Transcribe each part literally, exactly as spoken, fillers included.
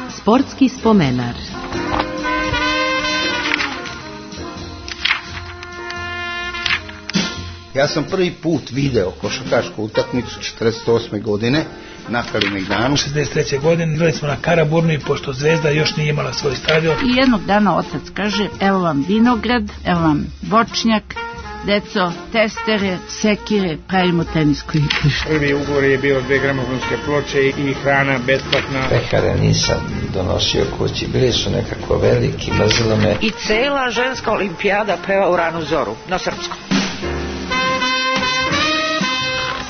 Sportski spomenar. Ja sam prvi put video košarkašku utakmicu četrdeset osme godine na Kalemegdanu. šezdeset treće godine igrali smo na Karaburmi, pošto Zvezda još nije imala svoj stadion. I jednog dana otac kaže, evo vam vinograd, evo vam voćnjak, deco, testere, sekire, pravimo tenisku igrište. Prvi ugovor je bio dve gramofonske ploče i hrana besplatna. Pekare nisam donosio kući, bili su nekako veliki, mrzilo me. I cela ženska olimpijada peva u ranu zoru, na srpskom.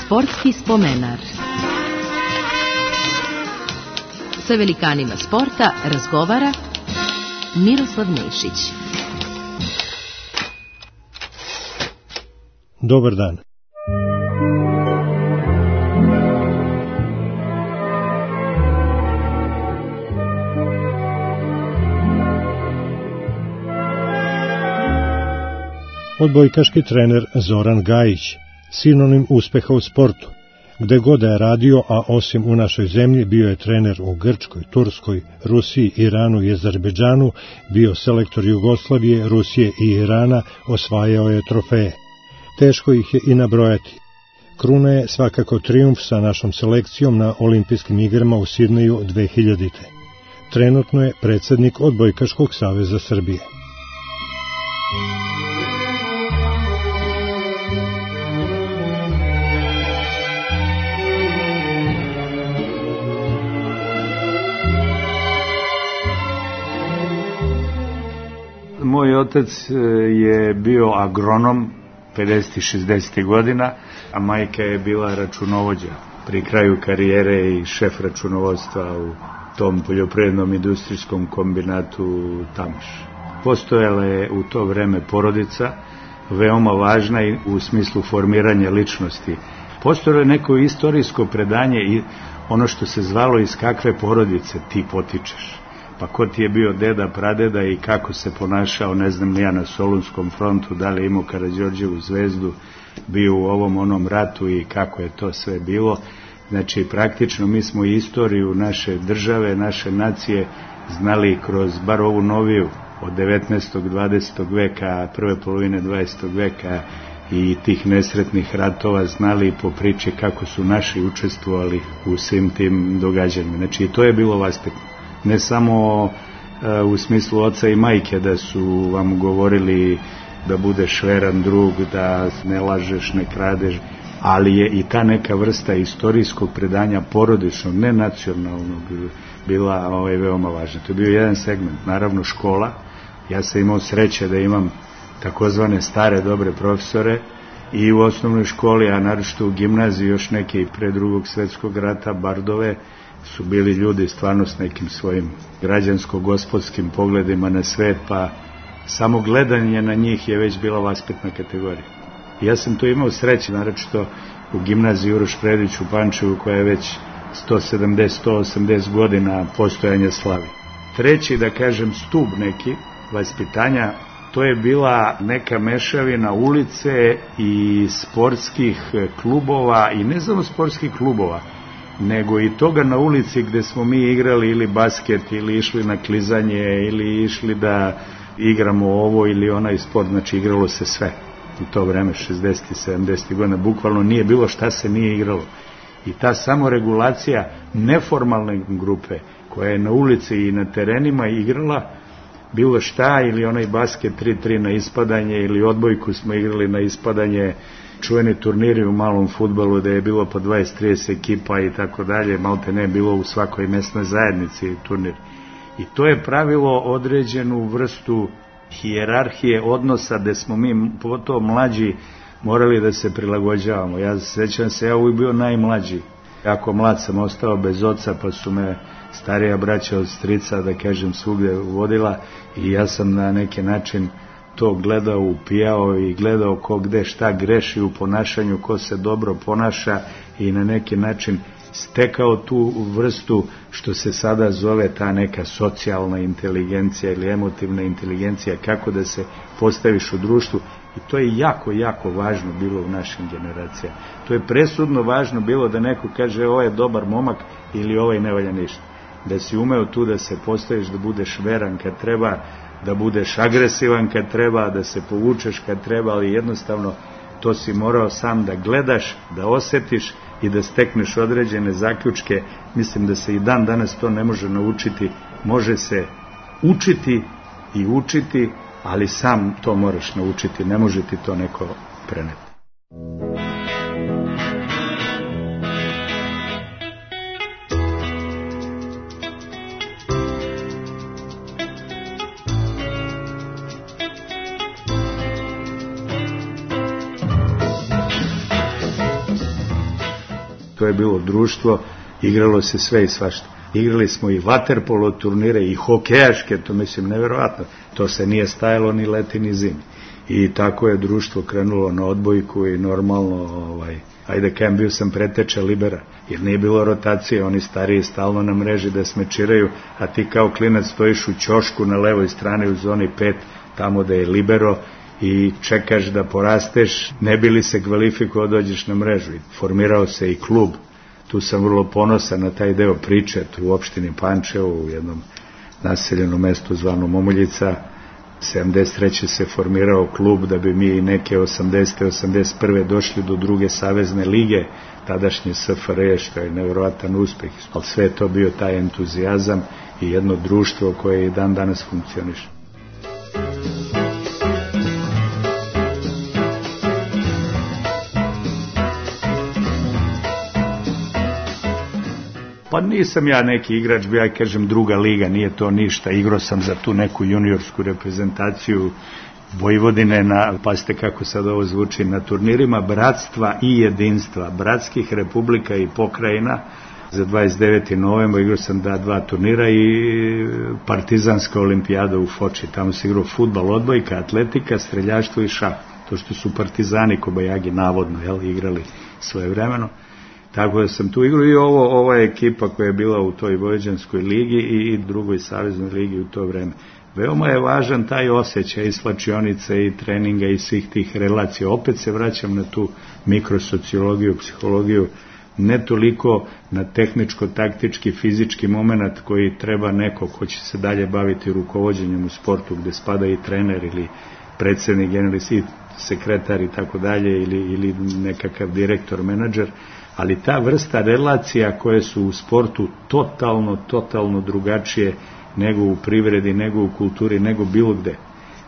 Sportski spomenar. Sa velikanima sporta razgovara Miroslav Nešić. Dobar dan. Odbojkaški trener Zoran Gajić, sinonim uspeha u sportu. Gde god da je radio, a osim u našoj zemlji, bio je trener u Grčkoj, Turskoj, Rusiji, Iranu i Azerbejdžanu, bio selektor Jugoslavije, Rusije i Irana, osvajao je trofeje. Teško ih je i nabrojati. Kruna je svakako trijumf sa našom selekcijom na olimpijskim igrama u Sidneju dve hiljadite. Trenutno je predsjednik Odbojkaškog saveza Srbije. Moj otac je bio agronom pedesetih šezdesetih godina, a majka je bila računovođa pri kraju karijere i šef računovodstva u tom poljoprivrednom industrijskom kombinatu Tamaš. Postojala je u to vreme porodica, veoma važna i u smislu formiranja ličnosti. Postojalo je neko istorijsko predanje i ono što se zvalo iz kakve porodice ti potičeš. Pa ko ti je bio deda, pradeda i kako se ponašao, ne znam ja, na Solunskom frontu, da li je imao Karađorđevu zvezdu, bio u ovom onom ratu i kako je to sve bilo. Znači, praktično mi smo istoriju naše države, naše nacije znali kroz bar ovu noviju od devetnaestog. dvadesetog veka, prve polovine dvadesetog veka i tih nesretnih ratova znali po priči kako su naši učestvovali u svim tim događanjima. Znači, to je bilo vaspitno. Ne samo uh, u smislu oca i majke da su vam govorili da budeš veran drug, da ne lažeš, ne kradeš, ali je i ta neka vrsta istorijskog predanja porodičnog, ne nacionalnog, bila ovaj, veoma važna. To je bio jedan segment, naravno škola. Ja sam imao sreće da imam takozvane stare dobre profesore i u osnovnoj školi, a naročito u gimnaziji još neke i pre drugog svetskog rata, bardove, su bili ljudi stvarno s nekim svojim građansko-gospodskim pogledima na svet, pa samo gledanje na njih je već bila vaspitna kategorija. Ja sam to imao sreće, naročito u gimnaziji Uroš Predić u Pančevu, koja je već sto sedamdeset do sto osamdeset godina postojanja slavi. Treći, da kažem, stub neki vaspitanja, to je bila neka mešavina ulice i sportskih klubova, i ne samo sportskih klubova, nego i toga na ulici gde smo mi igrali ili basket, ili išli na klizanje, ili išli da igramo ovo ili onaj sport, znači igralo se sve. U to vreme, šezdesetih, sedamdesetih godina, bukvalno nije bilo šta se nije igralo. I ta samoregulacija neformalne grupe, koja je na ulici i na terenima igrala bilo šta, ili onaj basket tri tri na ispadanje, ili odbojku smo igrali na ispadanje, čuveni turniri u malom fudbalu da je bilo po dvadeset trideset ekipa i tako dalje, malte ne bilo u svakoj mesnoj zajednici turnir. I to je pravilo određenu vrstu hijerarhije odnosa gde smo mi to mlađi morali da se prilagođavamo. Ja sećam se, ja uvijek bio najmlađi. Jako mlad sam ostao bez oca, pa su me starija braća od strica, da kažem, svugde vodila i ja sam na neki način to gledao, upijao i gledao ko gde šta greši u ponašanju, ko se dobro ponaša i na neki način stekao tu vrstu što se sada zove ta neka socijalna inteligencija ili emotivna inteligencija, kako da se postaviš u društvu. I to je jako, jako važno bilo u našim generacijama. To je presudno važno bilo da neko kaže ovo je dobar momak ili ovaj ne valja ništa. Da si umeo tu da se postaviš, da budeš veran kad treba, da budeš agresivan kad treba, da se povučeš kad treba, ali jednostavno to si morao sam da gledaš, da osetiš i da stekneš određene zaključke. Mislim da se i dan danas to ne može naučiti, može se učiti i učiti, ali sam to moraš naučiti, ne može ti to neko preneti. To je bilo društvo, igralo se sve i svašta. Igrali smo i vaterpolo turnire i hokejaške, to mislim nevjerovatno. To se nije stajalo ni leti ni zimi. I tako je društvo krenulo na odbojku i normalno, ovaj, ajde kajem, bio sam preteča libera, jer nije bilo rotacije, oni stariji stalno na mreži da smečiraju, a ti kao klinac stojiš u ćošku na levoj strani u zoni pet, tamo da je libero, i čekaš da porasteš, ne bi li se kvalifikovao, dođeš na mrežu. I formirao se i klub. Tu sam vrlo ponosan na taj deo priče, tu u opštini Pančevo, u jednom naseljenom mestu zvano Momuljica. sedamdeset treće se formirao klub da bi mi neke osamdesete osamdeset prve došli do druge savezne lige, tadašnje S F R J, što je nevjerovatan uspeh. Ali sve je to bio taj entuzijazam i jedno društvo koje i dan danas funkcioniše. Pa nisam ja neki igrač, ja kažem druga liga, nije to ništa, igrao sam za tu neku juniorsku reprezentaciju Vojvodine, na, pazite kako sad ovo zvuči, na turnirima bratstva i jedinstva, bratskih republika i pokrajina. Za dvadeset deveti novembar igrao sam da dva turnira i partizanska olimpijada u Foči, tamo se igrao fudbal, odbojka, atletika, streljaštvo i šah, to što su partizani Kobajagi navodno, jel, igrali svoje vremeno. Tako da sam tu igrao i ovo, ova ekipa koja je bila u toj Vojvođanskoj ligi i drugoj saveznoj ligi u to vreme. Veoma je važan taj osjećaj i slačionice i treninga i svih tih relacija. Opet se vraćam na tu mikrosociologiju, psihologiju, ne toliko na tehničko-taktički, fizički moment koji treba neko ko će se dalje baviti rukovođenjem u sportu, gde spada i trener ili predsednik, generalni sekretar i tako dalje, ili, ili nekakav direktor, menadžer, ali ta vrsta relacija koje su u sportu totalno, totalno drugačije nego u privredi, nego u kulturi, nego bilo gde.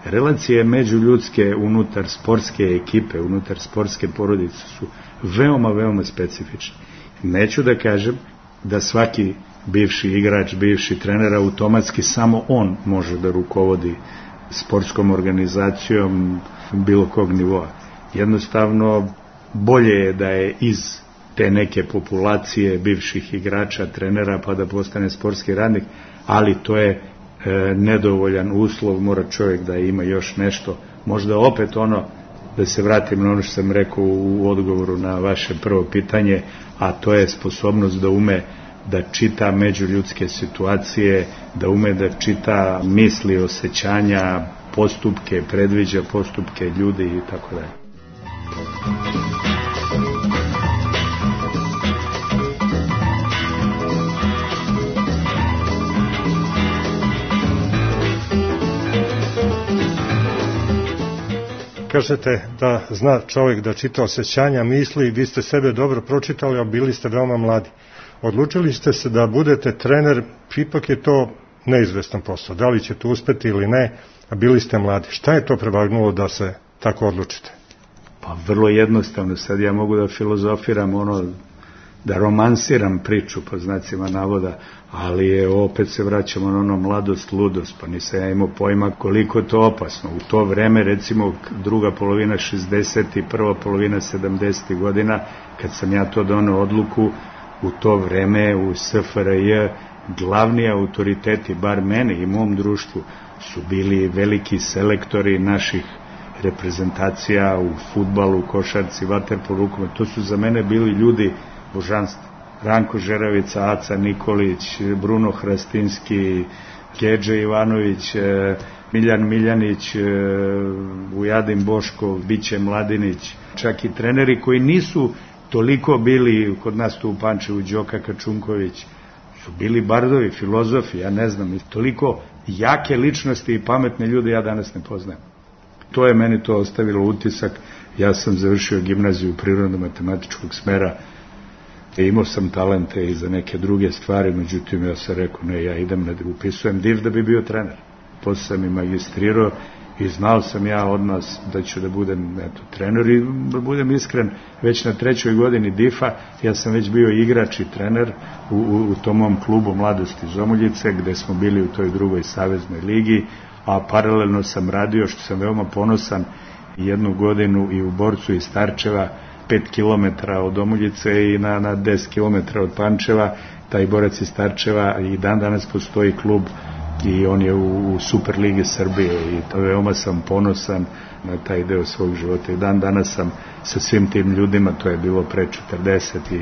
Relacije međuljudske unutar sportske ekipe, unutar sportske porodice su veoma, veoma specifične. Neću da kažem da svaki bivši igrač, bivši trener automatski samo on može da rukovodi sportskom organizacijom bilo kog nivoa. Jednostavno, bolje je da je iz te neke populacije bivših igrača, trenera, pa da postane sportski radnik, ali to je e, nedovoljan uslov, mora čovjek da ima još nešto. Možda opet ono, da se vratim na ono što sam rekao u odgovoru na vaše prvo pitanje, a to je sposobnost da ume da čita međuljudske situacije, da ume da čita misli, osjećanja, postupke, predviđa postupke ljudi i tako dalje. Kažete da zna čovjek da čita osjećanja, misli, vi ste sebe dobro pročitali, a bili ste veoma mladi. Odlučili ste se da budete trener, ipak je to neizvestan posao. Da li ćete uspeti ili ne, a bili ste mladi. Šta je to prevagnulo da se tako odlučite? Pa vrlo jednostavno, sad ja mogu da filozofiram, ono, da romansiram priču, po znacima navoda, ali je, opet se vraćamo na ono mladost, ludost, pa nisam ja imao pojma koliko je to opasno. U to vreme, recimo druga polovina šezdesetih i prva polovina sedamdesetih godina, kad sam ja to doneo odluku, u to vreme u S F R J glavni autoriteti, bar mene i mom društvu, su bili veliki selektori naših reprezentacija u fudbalu, košarci, vaterpolu, rukometu. To su za mene bili ljudi božanstva. Ranko Žeravica, Aca Nikolić, Bruno Hrastinski, Gedže Ivanović, Miljan Miljanić, Vujadin Boškov, Biće Mladinić, čak i treneri koji nisu toliko bili, kod nas tu u Pančevu, Đoka Kačunković, su bili bardovi, filozofi, ja ne znam, toliko jake ličnosti i pametne ljude ja danas ne poznajem. To je meni to ostavilo utisak. Ja sam završio gimnaziju prirodno-matematičkog smera, imao sam talente i za neke druge stvari, međutim ja sam rekao, ne, ja idem, ne upisujem div da bi bio trener. Posle sam i magistrirao i znao sam ja od nas da ću da budem eto, trener i da budem iskren, već na trećoj godini difa ja sam već bio igrač i trener u, u, u tom mom klubu Mladosti iz Omuljice, gde smo bili u toj drugoj saveznoj ligi, a paralelno sam radio, što sam veoma ponosan, jednu godinu i u Borcu iz Starčeva, pet kilometara od Omuljice i na, na deset kilometara od Pančeva, taj Borac iz Starčeva, i dan danas postoji klub i on je u, u Superligi Srbije i to veoma sam ponosan na taj deo svog života i dan danas sam sa svim tim ljudima, to je bilo pre četrdeset i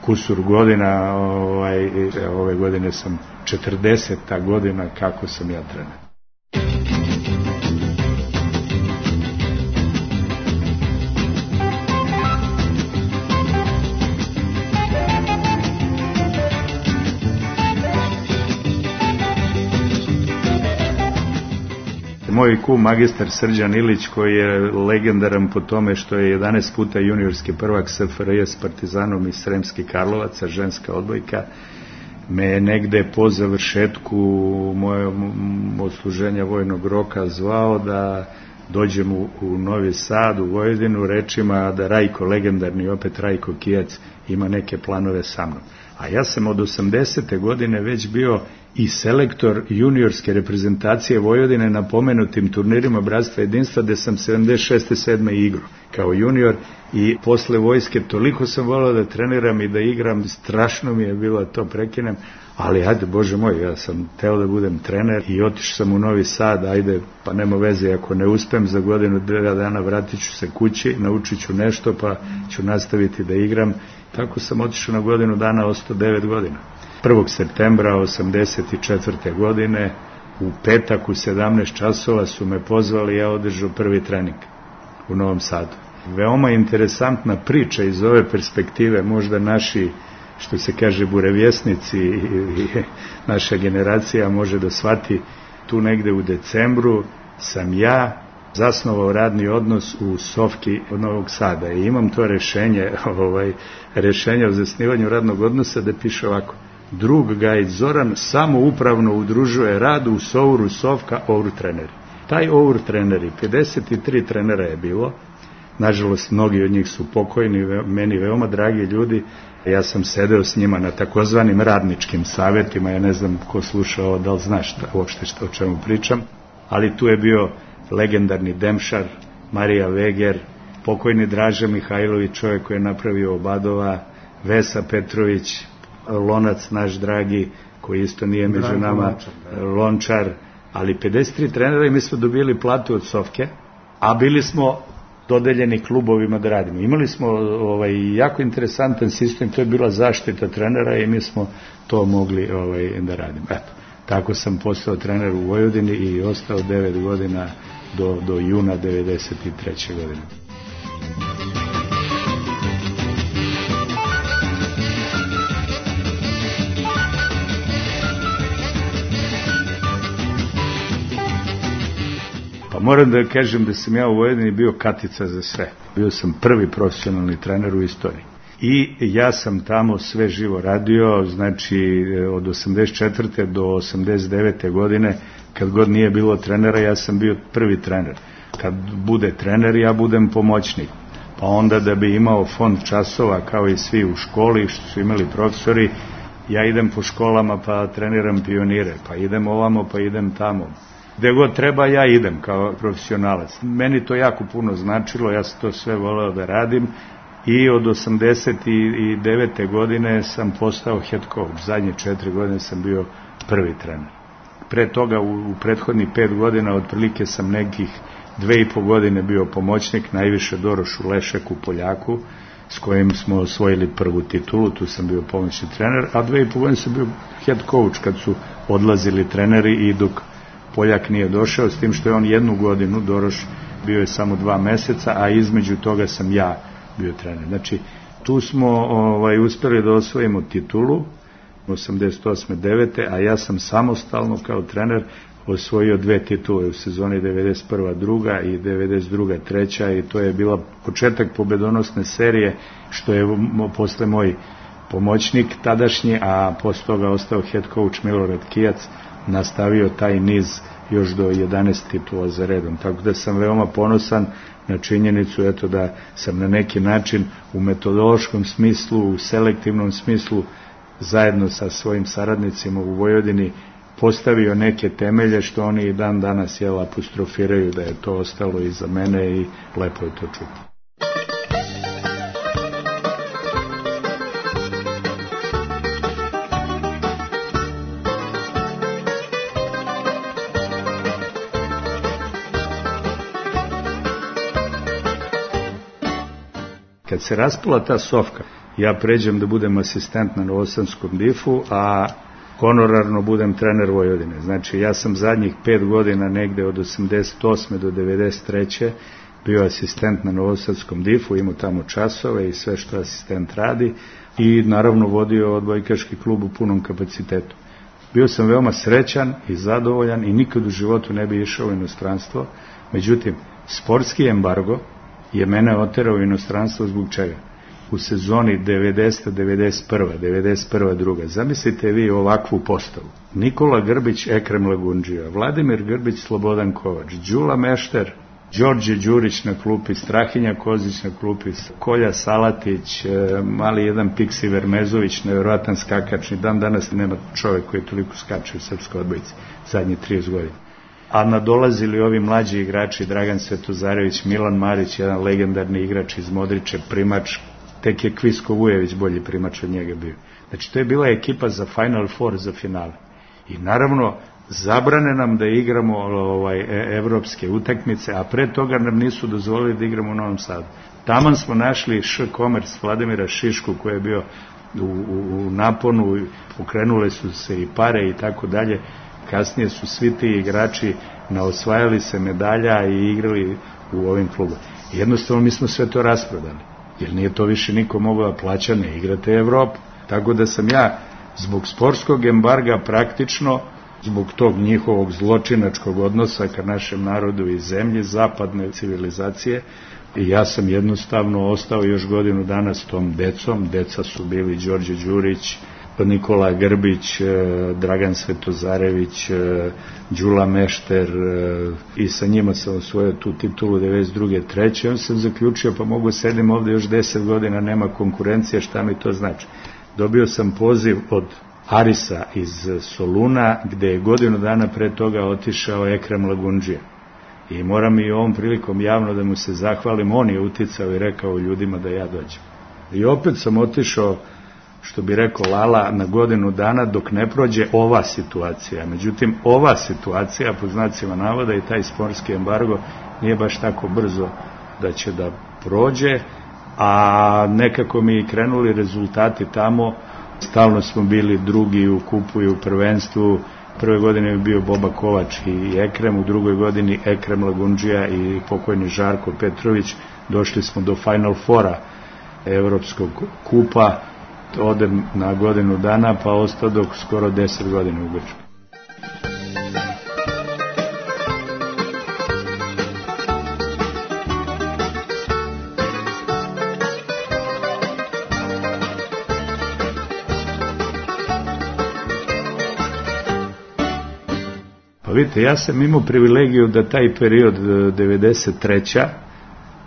kusur godina, ovaj, ove godine sam četrdeseta godina kako sam ja trener. Moj kum, magistar Srđan Ilić, koji je legendaran po tome što je jedanaest puta juniorski prvak S F R J s Partizanom iz Sremskih Karlovaca, ženska odbojka, me je negde po završetku mojeg odsluženja vojnog roka zvao da dođem u, u Novi Sad, u Vojvodinu, rečima da Rajko, legendarni opet Rajko Kijac, ima neke planove sa mnom. A ja sam od osamdesete godine već bio i selektor juniorske reprezentacije Vojvodine na pomenutim turnirima Bratstva jedinstva, gde sam sedamdeset šeste sedme igrao kao junior i posle vojske toliko sam volao da treniram i da igram, strašno mi je bilo to prekinem, ali ajde, Bože moj, ja sam teo da budem trener i otišao sam u Novi Sad, ajde, pa nema veze, ako ne uspem za godinu, dva dana vratit ću se kući, naučit ću nešto, pa ću nastaviti da igram. Tako sam otišao na godinu dana, ostao devet godina. prvog septembra osamdeset četvrte godine, u petak u sedamnaest časova su me pozvali, ja održao prvi trening u Novom Sadu. Veoma interesantna priča iz ove perspektive, možda naši, što se kaže, burevjesnici i naša generacija može da shvati, tu negde u decembru sam ja zasnovao radni odnos u Sofki od Novog Sada i imam to rešenje, ovaj, rešenje o zasnivanju radnog odnosa da piše ovako: drug Gajić Zoran samoupravno udružuje rad u Souru Sofka Our treneri. Taj Our treneri, pedeset tri trenera je bilo, nažalost mnogi od njih su pokojni, meni veoma dragi ljudi, ja sam sedeo s njima na takozvanim radničkim savetima, ja ne znam ko slušao, da li znaš uopšte što, o čemu pričam, ali tu je bio legendarni Demšar, Marija Veger, pokojni Draža Mihajlović, čovjek koji je napravio Obadova, Vesa Petrović, Lonac naš dragi, koji isto nije među nama, Lončar, ali pedeset tri trenera i mi smo dobili platu od Sofke, a bili smo dodeljeni klubovima da radimo. Imali smo ovaj, jako interesantan sistem, to je bila zaštita trenera i mi smo to mogli ovaj, da radimo. Eto, tako sam postao trener u Vojvodini i ostao devet godina do, do juna devedeset treće godine. Pa moram da kažem da sam ja u Vojvodini bio katica za sve. Bio sam prvi profesionalni trener u istoriji. I ja sam tamo sve živo radio, znači od osamdeset četvrte do osamdeset devete godine, kad god nije bilo trenera, ja sam bio prvi trener. Kad bude trener, ja budem pomoćnik. Pa onda da bi imao fond časova, kao i svi u školi, što su imali profesori, ja idem po školama pa treniram pionire, pa idem ovamo, pa idem tamo. Gde god treba, ja idem kao profesionalac. Meni to jako puno značilo, ja sam to sve voleo da radim i od osamdeset devete godine sam postao head coach. Zadnje četiri godine sam bio prvi trener. Pre toga, u, u prethodnih pet godina, otprilike sam nekih dve i po godine bio pomoćnik, najviše Dorošu Lešeku Poljaku, s kojim smo osvojili prvu titulu, tu sam bio pomoćni trener, a dve i po godine sam bio head coach kad su odlazili treneri i dok Poljak nije došao, s tim što je on jednu godinu, Doroš, bio je samo dva meseca, a između toga sam ja bio trener. Znači, Tu smo ovaj, uspeli da osvojimo titulu osamdeset osme devete a ja sam samostalno kao trener osvojio dve titule u sezoni devedeset prva druga i devedeset druga treća i to je bila početak pobedonosne serije, što je posle moj pomoćnik tadašnji, a posle toga ostao head coach Milorad Kijac, nastavio taj niz još do jedanaest titula za redom. Tako da sam veoma ponosan na činjenicu eto, da sam na neki način u metodološkom smislu, u selektivnom smislu, zajedno sa svojim saradnicima u Vojvodini postavio neke temelje što oni i dan danas jel, apostrofiraju da je to ostalo iza mene i lepo je to čuti. Kad se raspala ta sofka, ja pređem da budem asistent na Novosadskom difu, a honorarno budem trener Vojvodine. Znači, ja sam zadnjih pet godina, negde od osamdeset osme do devedeset treće bio asistent na Novosadskom difu, imao tamo časove i sve što asistent radi i naravno vodio odbojkaški klub u punom kapacitetu. Bio sam veoma srećan i zadovoljan i nikad u životu ne bi išao u inostranstvo, međutim, sportski embargo je mene oterao u inostranstvo zbog čega? U sezoni devedeseta devedeset prva devedeset prva druga Zamislite vi ovakvu postavu. Nikola Grbić, Ekrem Lagundžija, Vladimir Grbić, Slobodan Kovač, Đula Mešter, Đorđe Đurić na klupi, Strahinja Kozić na klupi, Kolja Salatić, mali jedan Piksi Vermezović, nevjerovatan skakač, ni dan danas nema čovek koji je toliko skače u srpskoj odbojci, zadnje trideset godina. A nadolazili ovi mlađi igrači, Dragan Svetozarević, Milan Marić, jedan legendarni igrač iz Modriče, primač, tek je Kvisko Vujević bolji primač od njega bio. Znači, to je bila ekipa za Final Four, za finale. I naravno, zabrane nam da igramo ovaj, evropske utakmice, a pre toga nam nisu dozvolili da igramo u Novom Sadu. Taman smo našli Š. Komers Vladimira Šišku, koji je bio u, u, u naponu, pokrenule su se i pare i tako dalje. Kasnije su svi ti igrači naosvajali se medalja i igrali u ovim klubama. Jednostavno, mi smo sve to rasprodali, jer nije to više niko mogao da plaća, ne igrate Evropu. Tako da sam ja zbog sportskog embarga praktično, zbog tog njihovog zločinačkog odnosa ka našem narodu i zemlji, zapadne civilizacije, i ja sam jednostavno ostao još godinu dana s tom decom. Deca su bili Đorđe Đurić, Nikola Grbić, Dragan Svetozarević, Đula Mešter, i sa njima sam osvojio tu titulu devedeset druge treće On sam zaključio, pa mogu sedim ovde još deset godina, nema konkurencije, šta mi to znači. Dobio sam poziv od Arisa iz Soluna, gde je godinu dana pre toga otišao Ekrem Lagundžija. I moram i ovom prilikom javno da mu se zahvalim, on je uticao i rekao ljudima da ja dođem. I opet sam otišao, što bi rekao Lala, na godinu dana dok ne prođe ova situacija. Međutim, ova situacija, po znacima navoda, i taj sportski embargo nije baš tako brzo da će da prođe, a nekako mi i krenuli rezultati tamo. Stalno smo bili drugi u kupu i u prvenstvu. Prve godine je bio Boba Kovač i Ekrem, u drugoj godini Ekrem Lagundžija i pokojni Žarko Petrović. Došli smo do Final Fora Evropskog kupa, odem na godinu dana, pa ostao dok skoro deset godina u Grčkoj. Pa vidite, ja sam imao privilegiju da taj period devedeset treće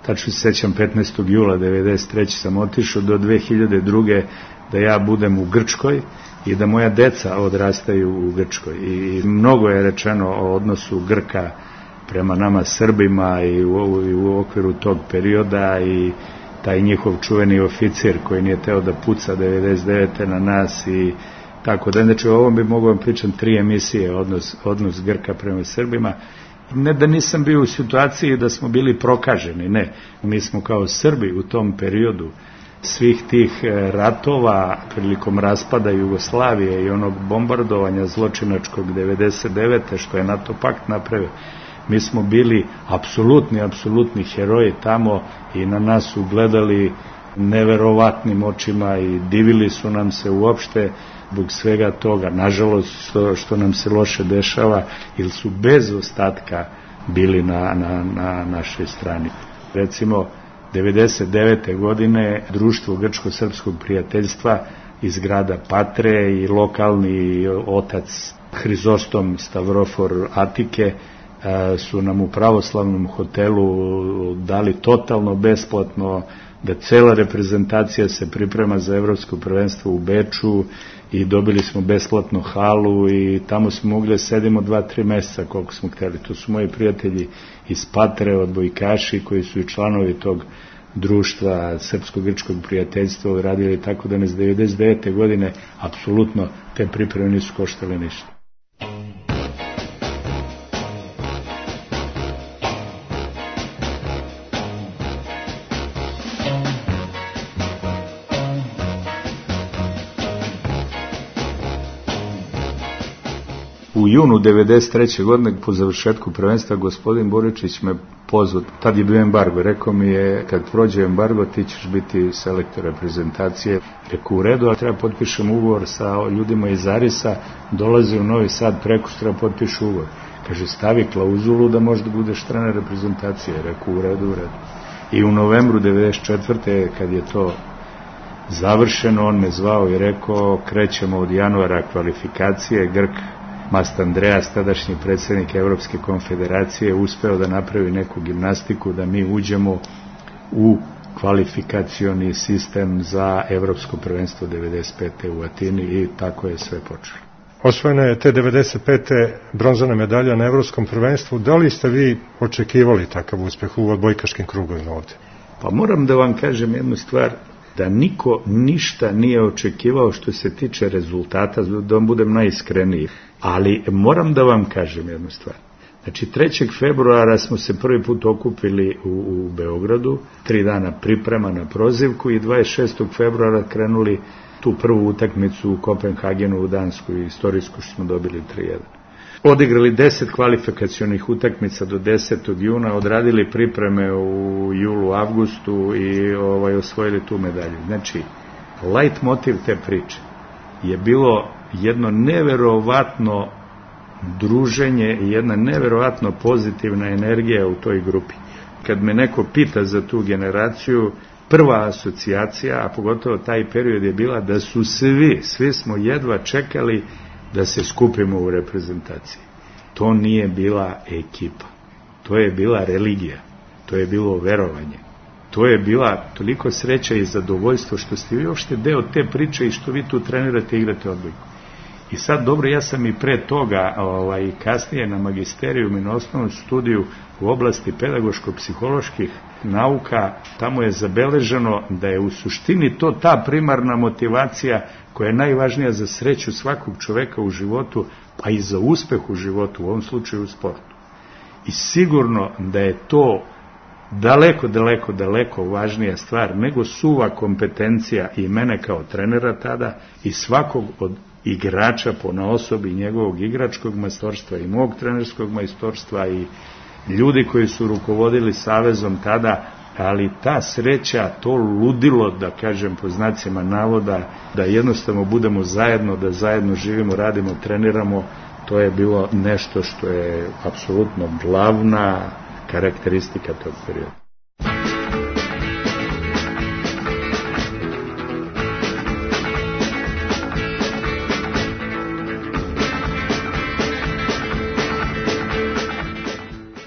tačno se sećam petnaestog jula devedeset treće sam otišao do dve hiljade druge da ja budem u Grčkoj i da moja deca odrastaju u Grčkoj. I mnogo je rečeno o odnosu Grka prema nama Srbima i u, i u okviru tog perioda, i taj njihov čuveni oficir koji nije teo da puca devedeset devete na nas i tako da. Znači, o ovom bi mogao vam pričam tri emisije, odnos, odnos Grka prema Srbima. Ne da nisam bio u situaciji da smo bili prokaženi, ne. Mi smo kao Srbi u tom periodu svih tih ratova prilikom raspada Jugoslavije i onog bombardovanja zločinačkog devedeset devete što je NATO pakt napravio, mi smo bili apsolutni, apsolutni heroji tamo i na nas su gledali neverovatnim očima i divili su nam se uopšte zbog svega toga, nažalost što, što nam se loše dešava, ili su bez ostatka bili na, na, na našoj strani. Recimo, devedeset devete godine društvo Grčko-srpskog prijateljstva iz grada Patre i lokalni otac Hrizostom Stavrofor Atike su nam u pravoslavnom hotelu dali totalno besplatno da cela reprezentacija se priprema za evropsko prvenstvo u Beču i dobili smo besplatno halu i tamo smo mogli da sedimo dva, tri meseca koliko smo hteli. To su moji prijatelji iz Patre, odbojkaši koji su i članovi tog društva Srpsko-grčkog prijateljstva radili, tako da nas devedeset devete godine apsolutno te pripreme nisu koštale ništa. U junu devedeset treće godine po završetku prvenstva gospodin Boričić me pozvao, tad je bio embargo, rekao mi je kad prođe embargo ti ćeš biti selektor reprezentacije. Rekao u redu, ali treba potpišem ugovor sa ljudima iz Arisa, dolazi u Novi Sad preko što treba potpišu ugovor. Kaže stavi klauzulu da možda budeš trener reprezentacije. Rekao u redu, u redu. I u novembru devedeset četvrte kad je to završeno, on me zvao i rekao krećemo od januara kvalifikacije. Grk Mast Andreas, tadašnji predsjednik Evropske konfederacije, uspeo da napravi neku gimnastiku da mi uđemo u kvalifikacioni sistem za Evropsko prvenstvo devedeset pete u Atini i tako je sve počelo. Osvojena je te devedeset pete bronzana medalja na Evropskom prvenstvu. Da li ste vi očekivali takav uspeh u odbojkaškim krugovima ovde? Pa moram da vam kažem jednu stvar, da niko ništa nije očekivao što se tiče rezultata, da vam budem najiskreniji. Ali moram da vam kažem jednu stvar. Znači, trećeg februara smo se prvi put okupili u, u Beogradu, tri dana priprema na prozivku i dvadeset šestog februara krenuli tu prvu utakmicu u Kopenhagenu u Dansku i istorijsku što smo dobili tri jedan. Odigrali deset kvalifikacionih utakmica do desetog juna, odradili pripreme u julu, avgustu i ovaj, osvojili tu medalju. Znači, light motiv te priče je bilo jedno neverovatno druženje i jedna neverovatno pozitivna energija u toj grupi. Kad me neko pita za tu generaciju, prva asocijacija, a pogotovo taj period je bila da su svi, svi smo jedva čekali da se skupimo u reprezentaciji. To nije bila ekipa, to je bila religija, to je bilo verovanje, to je bila toliko sreća i zadovoljstvo što ste vi uopšte deo te priče i što vi tu trenirate i igrate odbojku. I sad, dobro, ja sam i pre toga, ovaj, kasnije na magisteriju i na osnovnom studiju u oblasti pedagoško-psiholoških nauka, tamo je zabeleženo da je u suštini to ta primarna motivacija koja je najvažnija za sreću svakog čoveka u životu, pa i za uspeh u životu, u ovom slučaju u sportu. I sigurno da je to daleko, daleko, daleko važnija stvar nego suva kompetencija i mene kao trenera tada i svakog od igrača ponaosob i njegovog igračkog majstorstva i mog trenerskog majstorstva i ljudi koji su rukovodili savezom tada, ali ta sreća, to ludilo, da kažem po znacima navoda, da jednostavno budemo zajedno, da zajedno živimo, radimo, treniramo, to je bilo nešto što je apsolutno glavna karakteristika tog perioda.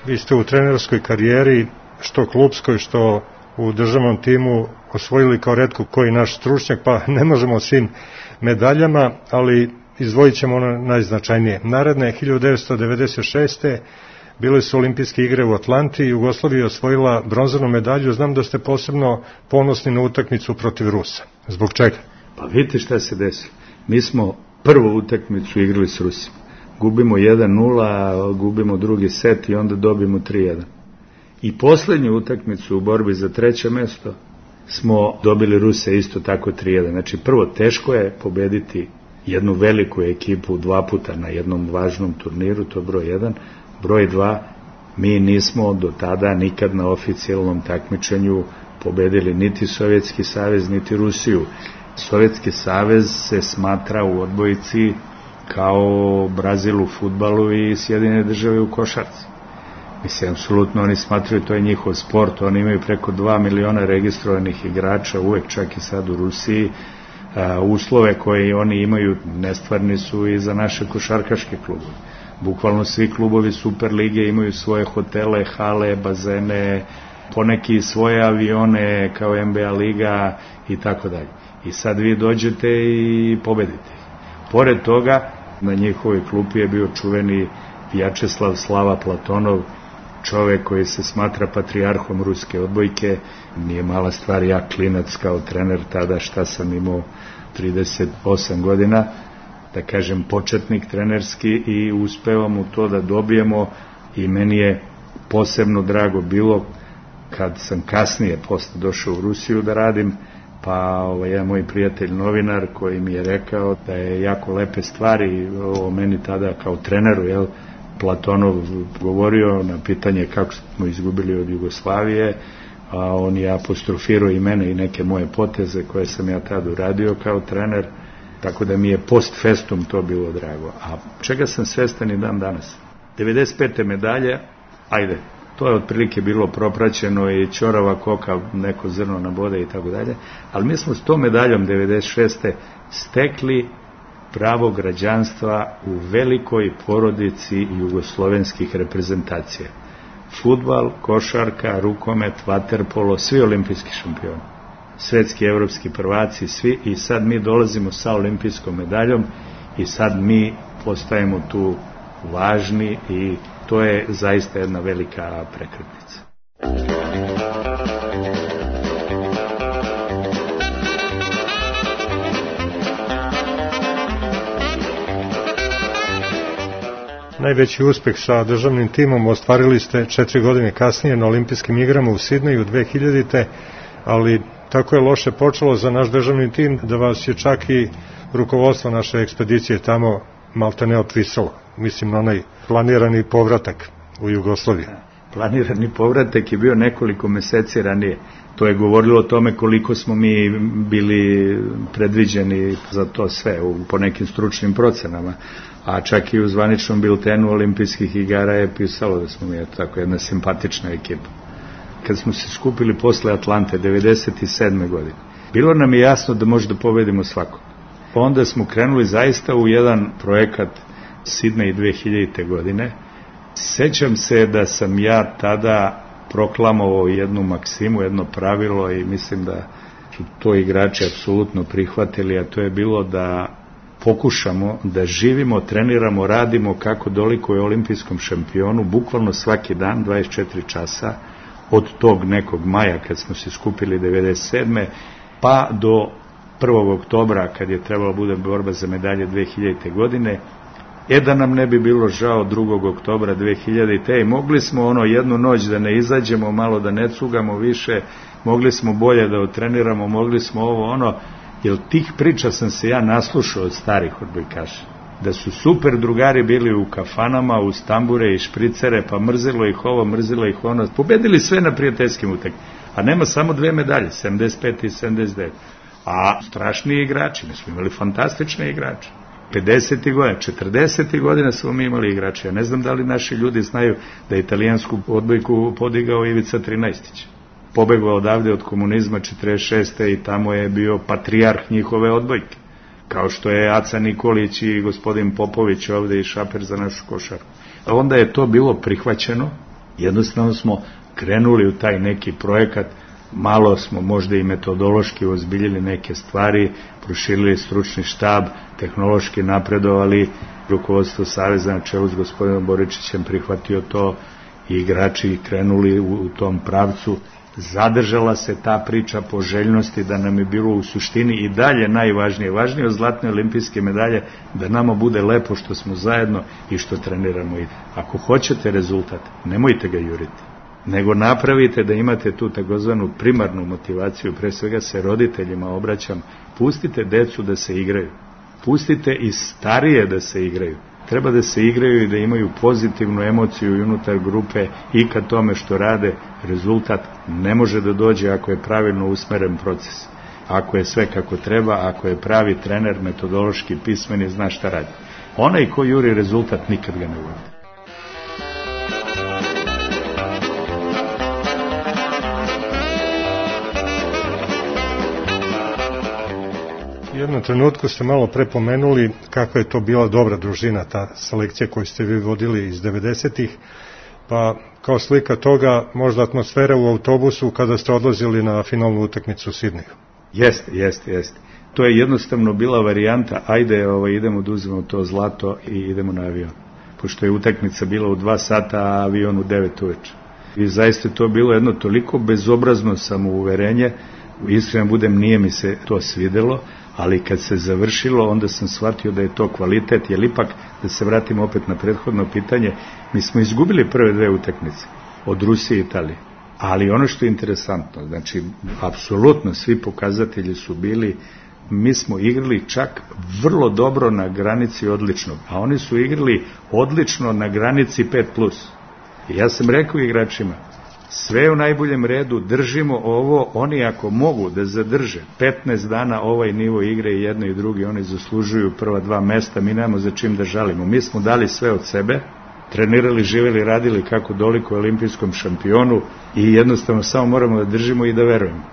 Vi ste u trenerskoj karijeri, što klubskoj, što u državnom timu, osvojili kao retko koji naš stručnjak, pa ne možemo o svim medaljama, ali izdvojit ćemo ono najznačajnije. Naredne hiljadu devetsto devedeset šeste bile su olimpijske igre u Atlanti i Jugoslavija je osvojila bronzanu medalju. Znam da ste posebno ponosni na utakmicu protiv Rusa. Zbog čega? Pa vidite šta se desilo. Mi smo prvu utakmicu igrali s Rusima. Gubimo jedan nula, gubimo drugi set i onda dobijemo tri jedan. I poslednju utakmicu u borbi za treće mesto smo dobili Ruse isto tako tri jedan. Znači prvo, teško je pobediti jednu veliku ekipu dva puta na jednom važnom turniru, to je broj jedan. Broj dva, mi nismo do tada nikad na oficijalnom takmičenju pobedili niti Sovjetski savez, niti Rusiju. Sovjetski savez se smatra u odbojici kao Brazil u fudbalu i Sjedinjene države u košarci. Mislim, apsolutno oni smatraju, to je njihov sport, oni imaju preko dva miliona registrovanih igrača, uvek čak i sad u Rusiji. Uh, uslove koje oni imaju nestvarni su i za naše košarkaške klubove. Bukvalno svi klubovi Super lige imaju svoje hotele, hale, bazene, poneki svoje avione kao N B A liga i tako dalje. I sad vi dođete i pobedite. Pored toga, na njihovoj klupi je bio čuveni Vjačeslav Slava Platonov, čovek koji se smatra patrijarhom ruske odbojke. Nije mala stvar, ja klinac kao trener tada, šta sam imao trideset osam godina, da kažem početnik trenerski, i uspevam u to da dobijemo, i meni je posebno drago bilo kad sam kasnije posle došao u Rusiju da radim, pa ovaj, jedan moj prijatelj novinar koji mi je rekao da je jako lepe stvari o meni tada kao treneru, jel, Platonov govorio na pitanje kako smo izgubili od Jugoslavije, a on je apostrofirao i mene i neke moje poteze koje sam ja tada uradio kao trener, tako da mi je post festum to bilo drago. A čega sam svestan i dan danas? devedeset pete medalje, ajde, to je otprilike bilo propraćeno i ćorava koka, neko zrno na bode i tako dalje, ali mi smo s tom medaljom devedeset šeste stekli pravo građanstva u velikoj porodici jugoslovenskih reprezentacija. Fudbal, košarka, rukomet, vaterpolo, svi olimpijski šampioni. Svetski, evropski prvaci, svi, i sad mi dolazimo sa olimpijskom medaljom i sad mi postajemo tu važni i to je zaista jedna velika prekretnica. Najveći uspeh sa državnim timom ostvarili ste četiri godine kasnije na olimpijskim igrama u Sidneju dve hiljadite. ali tako je loše počelo za naš državni tim da vas je čak i rukovodstvo naše ekspedicije tamo malte ne otvisalo. Mislim na onaj planirani povratak u Jugoslaviju. Planirani povratak je bio nekoliko meseci ranije. To je govorilo o tome koliko smo mi bili predviđeni za to sve u, po nekim stručnim procenama. A čak i u zvaničnom biltenu olimpijskih igara je pisalo da smo mi tako jedna simpatična ekipa. Kad smo se skupili posle Atlante devedeset sedme godine, bilo nam je jasno da možda pobedimo svakog. Onda smo krenuli zaista u jedan projekat Sidnej dve hiljadite. godine. Sećam se da sam ja tada proklamovao jednu maksimu, jedno pravilo i mislim da su to igrači apsolutno prihvatili, a to je bilo da pokušamo da živimo, treniramo, radimo kako dolikuje olimpijskom šampionu, bukvalno svaki dan, dvadeset četiri časa, od tog nekog maja kad smo se skupili devedeset sedme pa do prvog oktobra kad je trebalo bude borba za medalje dve hiljadite. godine, e da nam ne bi bilo žao drugog oktobra dve hiljadite. i mogli smo ono jednu noć da ne izađemo, malo da ne cugamo više, mogli smo bolje da otreniramo, mogli smo ovo ono, jer tih priča sam se ja naslušao od starih odbojkaša. Da su super drugari bili u kafanama, uz tambure i špricere, pa mrzilo ih ovo, mrzilo ih ono, pobedili sve na prijateljskim utakmicama. A nema samo dve medalje, sedamdeset pete i sedamdeset devete. A strašni igrači, mi smo imali fantastične igrače. pedesetih godina, četrdesetih godina smo mi imali igrače. Ja ne znam da li naši ljudi znaju da je italijansku odbojku podigao Ivica Trinaestić. Pobegao odavde od komunizma četrdeset šeste i tamo je bio patrijarh njihove odbojke. Kao što je Aca Nikolić i gospodin Popović ovde i šaper za našu košarku. A onda je to bilo prihvaćeno, jednostavno smo krenuli u taj neki projekat, malo smo možda i metodološki ozbiljili neke stvari, proširili stručni štab, tehnološki napredovali, rukovodstvo Saveza na čelu s gospodinom Boričićem prihvatio to i igrači krenuli u, u tom pravcu. Zadržala se ta priča poželjnosti da nam je bilo u suštini i dalje najvažnije, važnije od zlatne olimpijske medalje, da nama bude lepo što smo zajedno i što treniramo. I ako hoćete rezultat, nemojte ga juriti, nego napravite da imate tu takozvanu primarnu motivaciju, pre svega se roditeljima obraćam, pustite decu da se igraju, pustite i starije da se igraju, treba da se igraju i da imaju pozitivnu emociju i unutar grupe i ka tome što rade. Rezultat ne može da dođe ako je pravilno usmeren proces. Ako je sve kako treba, ako je pravi trener, metodološki pismen i zna šta radi. Onaj ko juri rezultat nikad ga ne uvodi. U jednom trenutku ste malo prepomenuli kako je to bila dobra družina, ta selekcija koju ste vi vodili iz devedesetih, pa kao slika toga možda atmosfera u autobusu kada ste odlazili na finalnu utakmicu u Sidneju. Jeste, jeste, jeste. To je jednostavno bila varijanta, ajde ovaj, idemo da uzmemo to zlato i idemo na avion. Pošto je utakmica bila u dva sata, a avion u devet uveče. I zaista to bilo jedno toliko bezobrazno samouverenje, iskreno budem, nije mi se to svidelo, ali kad se završilo, onda sam shvatio da je to kvalitet, jer ipak, da se vratimo opet na prethodno pitanje, mi smo izgubili prve dve utakmice od Rusije i Italije. Ali ono što je interesantno, znači, apsolutno svi pokazatelji su bili, mi smo igrali čak vrlo dobro na granici odličnog, a oni su igrali odlično na granici pet plus. I ja sam rekao igračima, sve u najboljem redu, držimo ovo, oni ako mogu da zadrže petnaest dana ovaj nivo igre i jedno i drugi, oni zaslužuju prva dva mesta, mi nemamo za čim da žalimo. Mi smo dali sve od sebe, trenirali, živjeli, radili kako doliko olimpijskom šampionu i jednostavno samo moramo da držimo i da verujemo.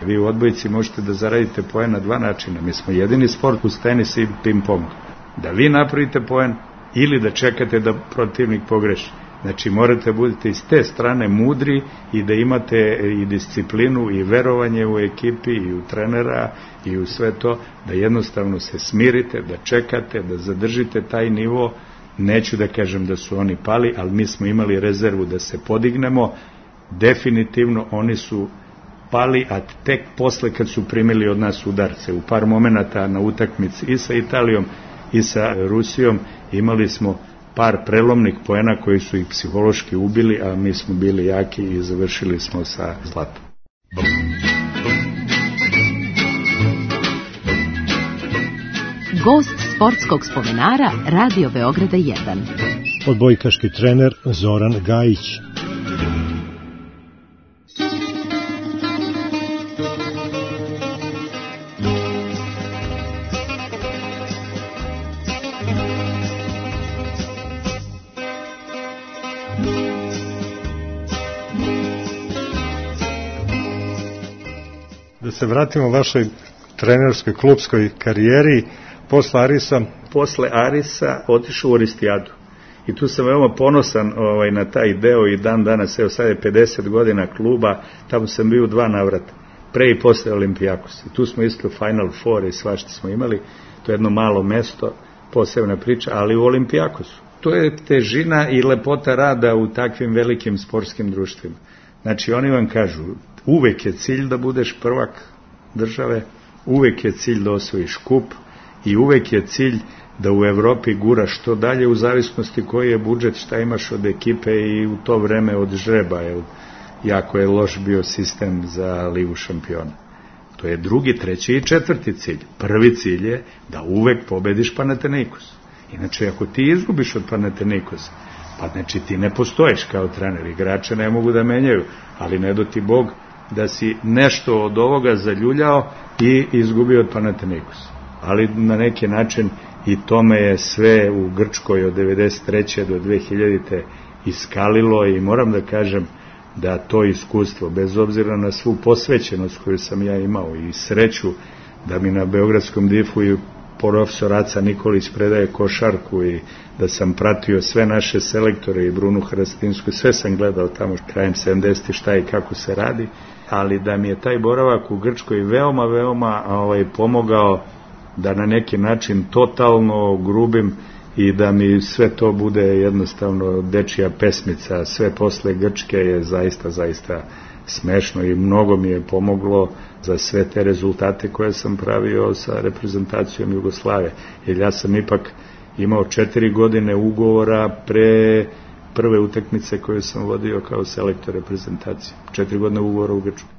Vi u odbojci možete da zaradite poen na dva načina. Mi smo jedini sport uz tenis i ping-pong. Da vi napravite poen ili da čekate da protivnik pogreši. Znači morate budete iz te strane mudri i da imate i disciplinu i verovanje u ekipi i u trenera i u sve to, da jednostavno se smirite, da čekate, da zadržite taj nivo. Neću da kažem da su oni pali, ali mi smo imali rezervu da se podignemo. Definitivno oni su pali, a tek posle kad su primili od nas udarce. U par momenata na utakmici i sa Italijom i sa Rusijom imali smo par prelomnih poena koji su ih psihološki ubili, a mi smo bili jaki i završili smo sa zlatom. Gost sportskog spomenara Radio Beograda jedan. Odbojkaški trener Zoran Gajić. Da se vratimo vašoj trenerskoj klubskoj karijeri, posle Arisa? Posle Arisa otišao u Oristijadu. I tu sam veoma ponosan ovaj, na taj deo i dan danas, evo sad je pedeset godina kluba, tamo sam bio dva navrata, pre i posle Olimpijakos. I tu smo isto Final Four i svašta smo imali, to je jedno malo mesto, posebna priča, ali u Olimpijakosu. To je težina i lepota rada u takvim velikim sportskim društvima. Znači oni vam kažu, uvek je cilj da budeš prvak države, uvek je cilj da osvojiš kup i uvek je cilj da u Evropi guraš što dalje u zavisnosti koji je budžet, šta imaš od ekipe i u to vreme od žreba, jer jako je loš bio sistem za Ligu šampiona. To je drugi, treći i četvrti cilj. Prvi cilj je da uvek pobediš Panathinaikos. Inače, ako ti izgubiš od Panathinaikosa, pa znači ti ne postoješ kao trener, igrače ne mogu da menjaju, ali ne do ti Bog da si nešto od ovoga zaljuljao i izgubio od Panathinaikosa. Ali na neki način i tome je sve u Grčkoj od devedeset treće do dve hiljadite iskalilo i moram da kažem da to iskustvo, bez obzira na svu posvećenost koju sam ja imao i sreću da mi na Beogradskom difu i profesor Aca Nikolić predaje košarku i da sam pratio sve naše selektore i Brunu Hrastinsku, sve sam gledao tamo krajem sedamdesetih šta i kako se radi, ali da mi je taj boravak u Grčkoj veoma, veoma ovaj, pomogao da na neki način totalno grubim i da mi sve to bude jednostavno dečija pesmica, sve posle Grčke je zaista, zaista smešno i mnogo mi je pomoglo za sve te rezultate koje sam pravio sa reprezentacijom Jugoslavije. Jer ja sam ipak imao četiri godine ugovora pre prve utakmice koje sam vodio kao selektor reprezentacije. Četiri godine ugovora u Grčkoj.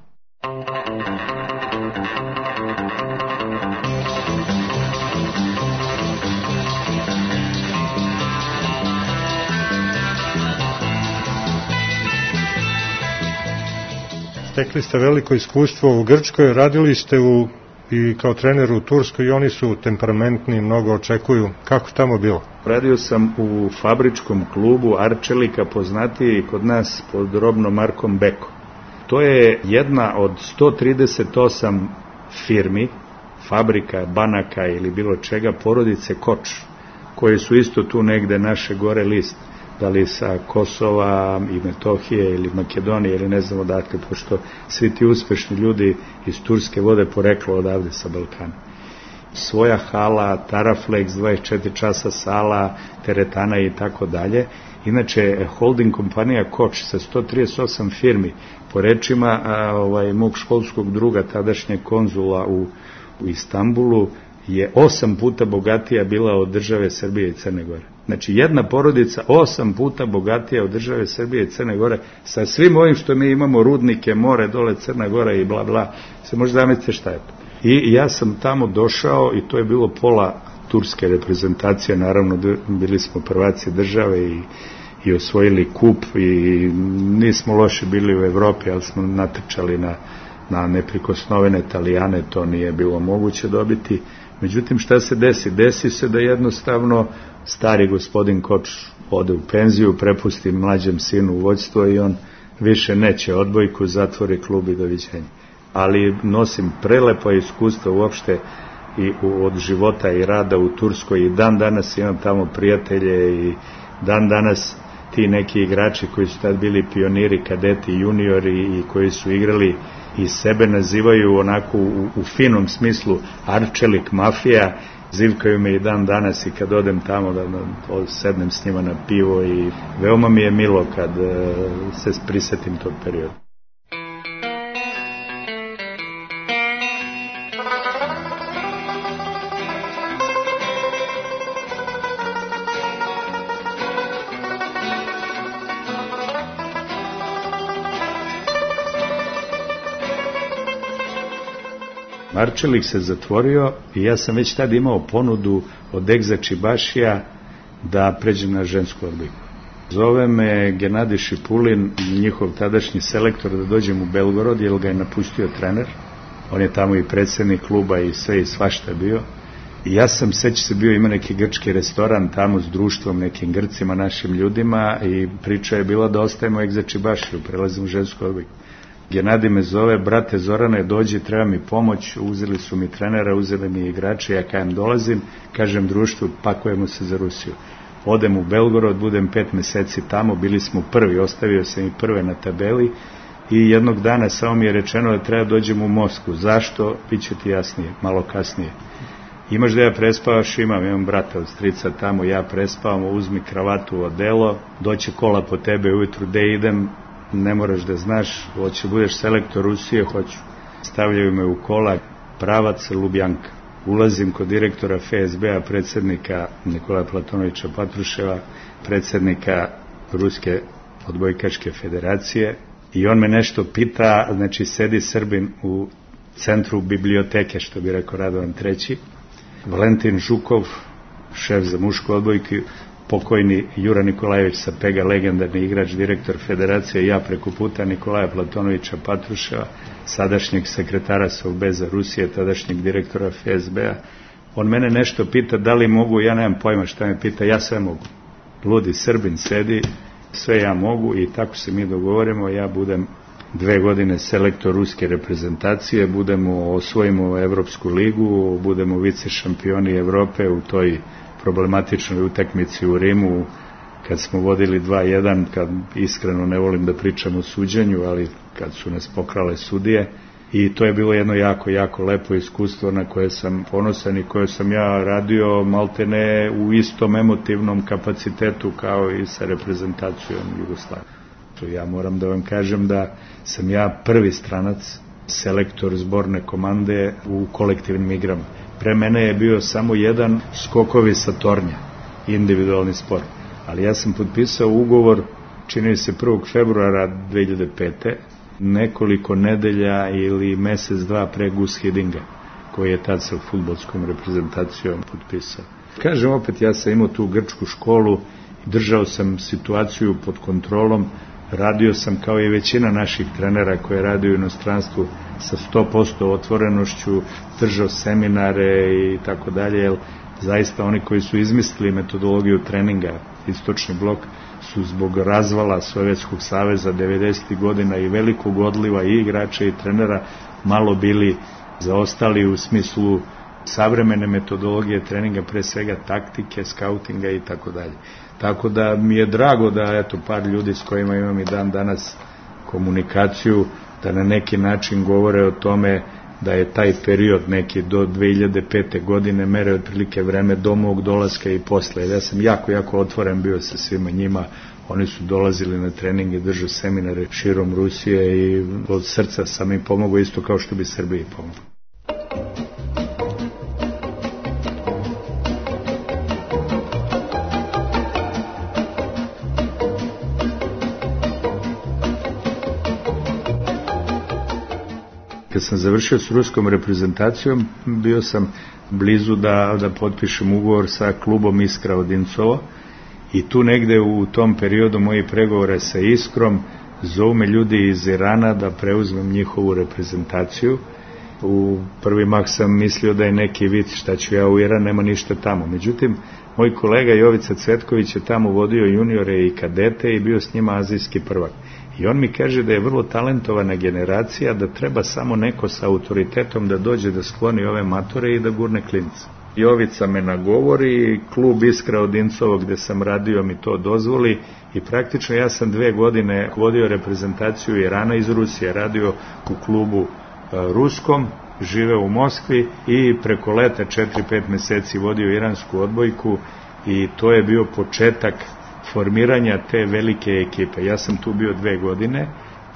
stekli ste veliko iskustvo u Grčkoj, radili ste u, i kao trener u Turskoj i oni su temperamentni, mnogo očekuju. Kako tamo bilo? Radio sam u fabričkom klubu Arčelika, poznatiji kod nas pod robnom markom Beko. To je jedna od sto trideset osam firmi, fabrika, banaka ili bilo čega, porodice Koč, koje su isto tu negde naše gore list, da li sa Kosova i Metohije ili Makedonije ili ne znam odakle, pošto svi ti uspešni ljudi iz Turske vode poreklo odavde sa Balkana. Svoja hala, Taraflex, dvadeset četiri časa sala, teretana i tako dalje. Inače, holding kompanija Koč sa sto trideset osam firmi, po rečima a, ovaj, mog školskog druga, tadašnjeg konzula u, u Istanbulu, je osam puta bogatija bila od države Srbije i Crne Gore. Znači, jedna porodica osam puta bogatija od države Srbije i Crne Gore, sa svim ovim što mi imamo, rudnike, more, dole Crna Gora i bla bla, se može zamisliti šta je to. I ja sam tamo došao i to je bilo pola turske reprezentacije, naravno bili smo prvaci države i, i osvojili kup i nismo loše bili u Evropi, ali smo natrčali na, na neprikosnovene Italijane, to nije bilo moguće dobiti. Međutim, šta se desi? Desi se da jednostavno stari gospodin Koč ode u penziju, prepusti mlađem sinu u vođstvo i on više neće odbojku, zatvori klub i doviđenja. Ali nosim prelepa iskustva uopšte i od života i rada u Turskoj i dan danas imam tamo prijatelje i dan danas ti neki igrači koji su tad bili pioniri, kadeti, juniori i koji su igrali i sebe nazivaju onako u, u finom smislu Arčelik mafija, zivkaju me i dan danas i kad odem tamo da, da sednem s njima na pivo i veoma mi je milo kad uh, se prisetim tog perioda. Arčelik se zatvorio i ja sam već tad imao ponudu od Egza Čibašija da pređem na žensku odbojku. Zove me Genadij Šipulin, njihov tadašnji selektor, da dođem u Belgorod, jer ga je napustio trener. On je tamo i predsjednik kluba i sve i svašta bio. I ja sam, seća se, bio, ima neki grčki restoran tamo s društvom, nekim Grcima, našim ljudima i priča je bila da ostajemo Egza Čibašiju, prelazim u žensku odbojku. Genadij me zove, brate Zorane, dođi, treba mi pomoć, uzeli su mi trenera, uzeli mi igrače, ja kajem dolazim, kažem društvu, pakujemo se za Rusiju. Odem u Belgorod, budem pet meseci tamo, bili smo prvi, ostavio sam i prve na tabeli i jednog dana samo mi je rečeno da treba dođem u Moskvu. Zašto? Biće ti jasnije, malo kasnije. Imaš da ja prespavaš? Imam, imam brata od strica tamo, ja prespavam, uzmi kravatu, odelo, doće kola po tebe ujutru, gde idem, ne moraš da znaš, hoće budeš selektor Rusije, hoću. Stavljaju me u kola, pravac Lubjanka. Ulazim kod direktora F S B-a, predsjednika Nikolaja Platonovića Patruševa, predsjednika Ruske odbojkaške federacije i on me nešto pita, znači sedi Srbin u centru biblioteke, što bi rekao Radovan treći, Valentin Žukov, šef za mušku odbojku, pokojni Jura Nikolajević sa Pega, legendarni igrač, direktor federacije, ja preko puta Nikolaja Platonovića Patruševa, sadašnjeg sekretara Saveza Rusije, tadašnjeg direktora F S B-a. On mene nešto pita, da li mogu, ja nemam pojma šta me pita, ja sve mogu. Ludi Srbin sedi, sve ja mogu i tako se mi dogovorimo, ja budem dve godine selektor ruske reprezentacije, budemo, osvojimo Evropsku ligu, budemo vice šampioni Evrope u toj problematičnoj utakmici u Rimu, kad smo vodili dva jedan, kad iskreno ne volim da pričam o suđenju, ali kad su nas pokrale sudije. I to je bilo jedno jako, jako lepo iskustvo na koje sam ponosan i koje sam ja radio maltene u istom emotivnom kapacitetu kao i sa reprezentacijom Jugoslavije. Ja moram da vam kažem da sam ja prvi stranac, selektor zborne komande u kolektivnim igrama. Pre mene je bio samo jedan skokovi sa tornja, individualni sport. Ali ja sam potpisao ugovor, čini se prvog februara dve hiljade pete. nekoliko nedelja ili mesec, dva pre Gus Hiddinga, koji je tad sa fudbalskom reprezentacijom potpisao. Kažem opet, ja sam imao tu grčku školu, držao sam situaciju pod kontrolom, Radio sam kao i većina naših trenera koje radi u inostranstvu sa sto posto otvorenošću, držao seminare i tako dalje, jer zaista oni koji su izmislili metodologiju treninga, istočni blok, su zbog razvala Sovjetskog saveza devedesetih godina i velikog odliva i igrača i trenera malo bili zaostali u smislu savremene metodologije treninga, pre svega taktike, skautinga i tako dalje. Tako da mi je drago da eto par ljudi s kojima imam i dan danas komunikaciju, da na neki način govore o tome da je taj period neki do dve hiljade pete godine mere otprilike vreme do mog dolaska i posle. Ja sam jako, jako otvoren bio sa svima njima. Oni su dolazili na treninge, držao seminare širom Rusije i od srca sam im pomogao isto kao što bi Srbiji pomogao. Kad sam završio s ruskom reprezentacijom, bio sam blizu da, da potpišem ugovor sa klubom Iskra Odincovo i tu negde u tom periodu moji pregovore sa Iskrom zovu me ljudi iz Irana da preuzmem njihovu reprezentaciju. U prvi mah sam mislio da je neki vic, šta ću ja u Iran, nema ništa tamo. Međutim, moj kolega Jovica Cvetković je tamo vodio juniore i kadete i bio s njima azijski prvak. I on mi kaže da je vrlo talentovana generacija, da treba samo neko sa autoritetom da dođe da skloni ove matore i da gurne klince. Jovica me nagovori, klub Iskra Odincovo gde sam radio mi to dozvoli i praktično ja sam dve godine vodio reprezentaciju Irana iz Rusije, radio u klubu ruskom, živeo u Moskvi i preko leta četiri pet meseci vodio iransku odbojku i to je bio početak formiranja te velike ekipe. Ja sam tu bio dve godine,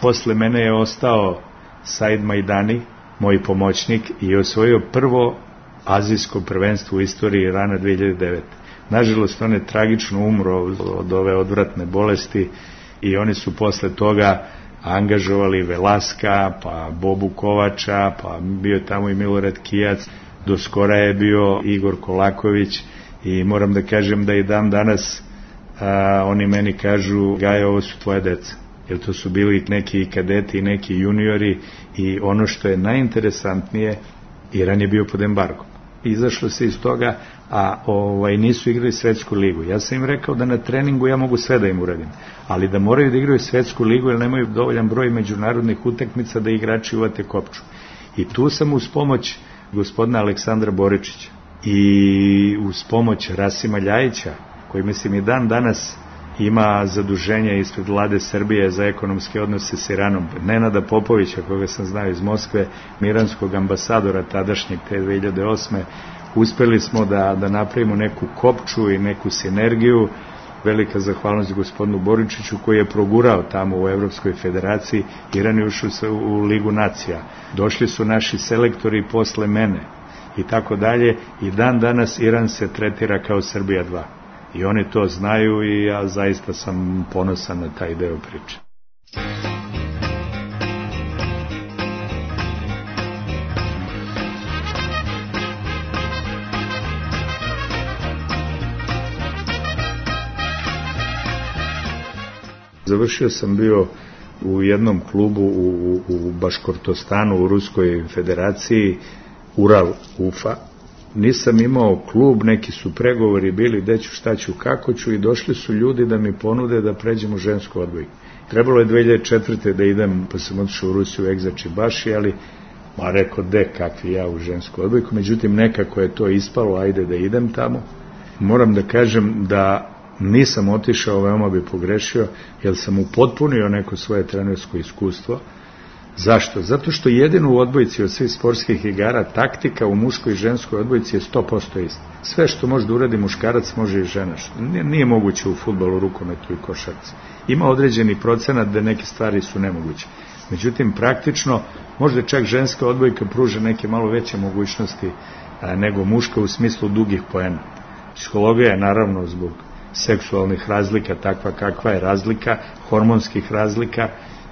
posle mene je ostao Said Majdani, moj pomoćnik, i osvojio prvo azijsko prvenstvo u istoriji Irana dve hiljade devete. Nažalost, on je tragično umro od ove odvratne bolesti i oni su posle toga angažovali Velaska, pa Bobu Kovača, pa bio je tamo i Milorad Kijac, do skora je bio Igor Kolaković i moram da kažem da i dan danas a, oni meni kažu, Gaja, ovo su tvoje deca, jer to su bili neki kadeti i neki juniori i ono što je najinteresantnije, Iran je bio pod embargom. Izašlo se iz toga, a ovaj, nisu igrali svetsku ligu. Ja sam im rekao da na treningu ja mogu sve da im uradim, ali da moraju da igraju svetsku ligu jer nemaju dovoljan broj međunarodnih utakmica da igrači uvate kopču. I tu sam uz pomoć gospodina Aleksandra Boričića i uz pomoć Rasima Ljajića, koji mislim i dan danas ima zaduženje ispred vlade Srbije za ekonomske odnose s Iranom, Nenada Popovića, koga sam znao iz Moskve, iranskog ambasadora tadašnjeg te dve hiljade osme. Uspeli smo da, da napravimo neku kopču i neku sinergiju. Velika zahvalnost gospodinu Boričiću koji je progurao tamo u Evropskoj federaciji. Iran je ušao u Ligu nacija. Došli su naši selektori posle mene i tako dalje. I dan danas Iran se tretira kao Srbija dva. I oni to znaju i ja zaista sam ponosan na taj deo priče. Završio sam bio u jednom klubu u, u Baškortostanu, u Ruskoj federaciji, Ural Ufa. Nisam imao klub, neki su pregovori bili gde ću, šta ću, kako ću i došli su ljudi da mi ponude da pređem u žensku odbojku. Trebalo je dve hiljade četvrte da idem, pa sam otišao u Rusiju u Egzačibaši, ali ma rekao, de, kakvi ja u žensku odbojku, međutim nekako je to ispalo, ajde da idem tamo. Moram da kažem da nisam otišao, veoma bi pogrešio, jer sam upotpunio neko svoje trenersko iskustvo. Zašto? Zato što jedino u odbojci od svih sportskih igara taktika u muškoj i ženskoj odbojci je sto posto isto. Sve što može da uradi muškarac može i žena. Nije, nije moguće u fudbalu, rukometu i košarci. Ima određeni procenat da neke stvari su nemoguće. Međutim, praktično, možda čak ženska odbojka pruža neke malo veće mogućnosti a, nego muška u smislu dugih poena. Psihologija je naravno zbog seksualnih razlika takva kakva je razlika, hormonskih razlika.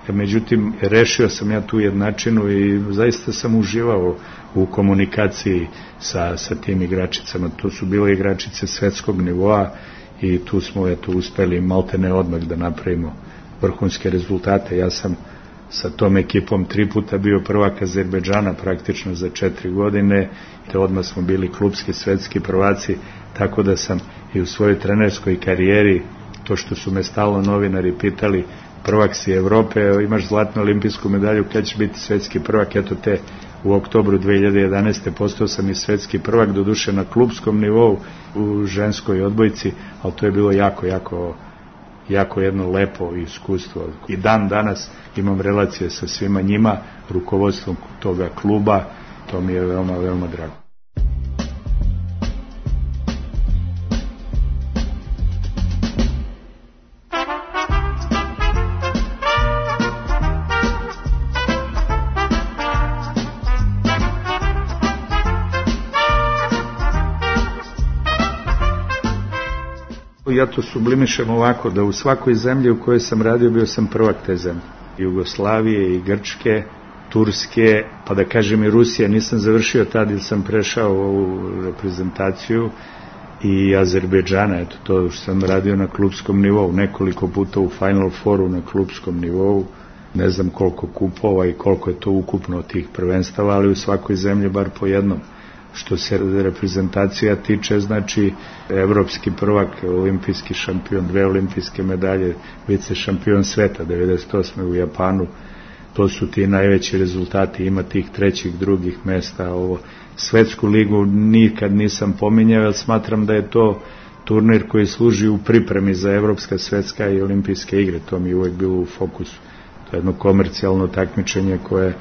Međutim, rešio sam ja tu jednačinu i zaista sam uživao u komunikaciji sa, sa tim igračicama. To su bile igračice svetskog nivoa i tu smo eto uspeli maltene odmah da napravimo vrhunske rezultate. Ja sam sa tom ekipom tri puta bio prvak Azerbejdžana praktično za četiri godine, te odmah smo bili klubski svetski prvaci, tako da sam i u svojoj trenerskoj karijeri, to što su me stalno novinari pitali, prvak si Evrope, imaš zlatnu olimpijsku medalju, kada će biti svetski prvak, eto te u oktobru dve hiljade jedanaeste. postao sam i svetski prvak, doduše na klubskom nivou u ženskoj odbojci, ali to je bilo jako, jako jako jedno lepo iskustvo. I dan danas imam relacije sa svima njima, rukovodstvom toga kluba, to mi je veoma, veoma drago. Ja to sublimišem ovako, da u svakoj zemlji u kojoj sam radio bio sam prvak te zemlje. Jugoslavije i Grčke, Turske, pa da kažem i Rusije. Nisam završio tad ili sam prešao ovu reprezentaciju, i Azerbejdžana, eto to što sam radio na klubskom nivou, nekoliko puta u Final Fouru na klubskom nivou, ne znam koliko kupova i koliko je to ukupno tih prvenstava, ali u svakoj zemlji bar po jednom. Što se reprezentacija tiče, znači evropski prvak, olimpijski šampion, dve olimpijske medalje, vice šampion sveta devedeset osme u Japanu, to su ti najveći rezultati, ima tih trećih, drugih mesta. Ovo svetsku ligu nikad nisam pominjao, jer smatram da je to turnir koji služi u pripremi za evropska, svetska i olimpijske igre, to mi je uvek bilo u fokusu. To je jedno komercijalno takmičenje koje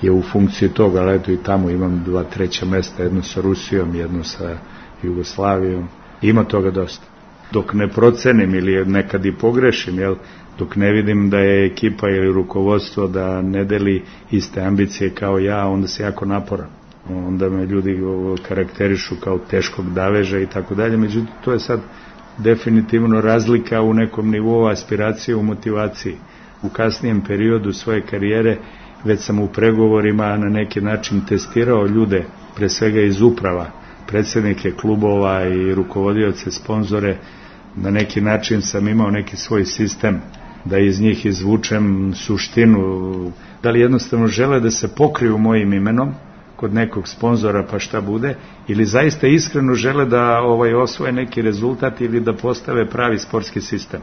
je u funkciji toga, ali eto i tamo imam dva treća mesta, jedno sa Rusijom, jedno sa Jugoslavijom, ima toga dosta. Dok ne procenim ili nekad i pogrešim, jel, dok ne vidim da je ekipa ili rukovodstvo da ne deli iste ambicije kao ja, onda se jako naporam. Onda me ljudi karakterišu kao teškog daveža i tako dalje, međutim to je sad definitivno razlika u nekom nivou aspiracije, u motivaciji. U kasnijem periodu svoje karijere već sam u pregovorima na neki način testirao ljude, pre svega iz uprava, predsjednike klubova i rukovodioce, sponzore, na neki način sam imao neki svoj sistem da iz njih izvučem suštinu, da li jednostavno žele da se pokriju mojim imenom kod nekog sponzora pa šta bude, ili zaista iskreno žele da ovaj osvoje neki rezultat ili da postave pravi sportski sistem.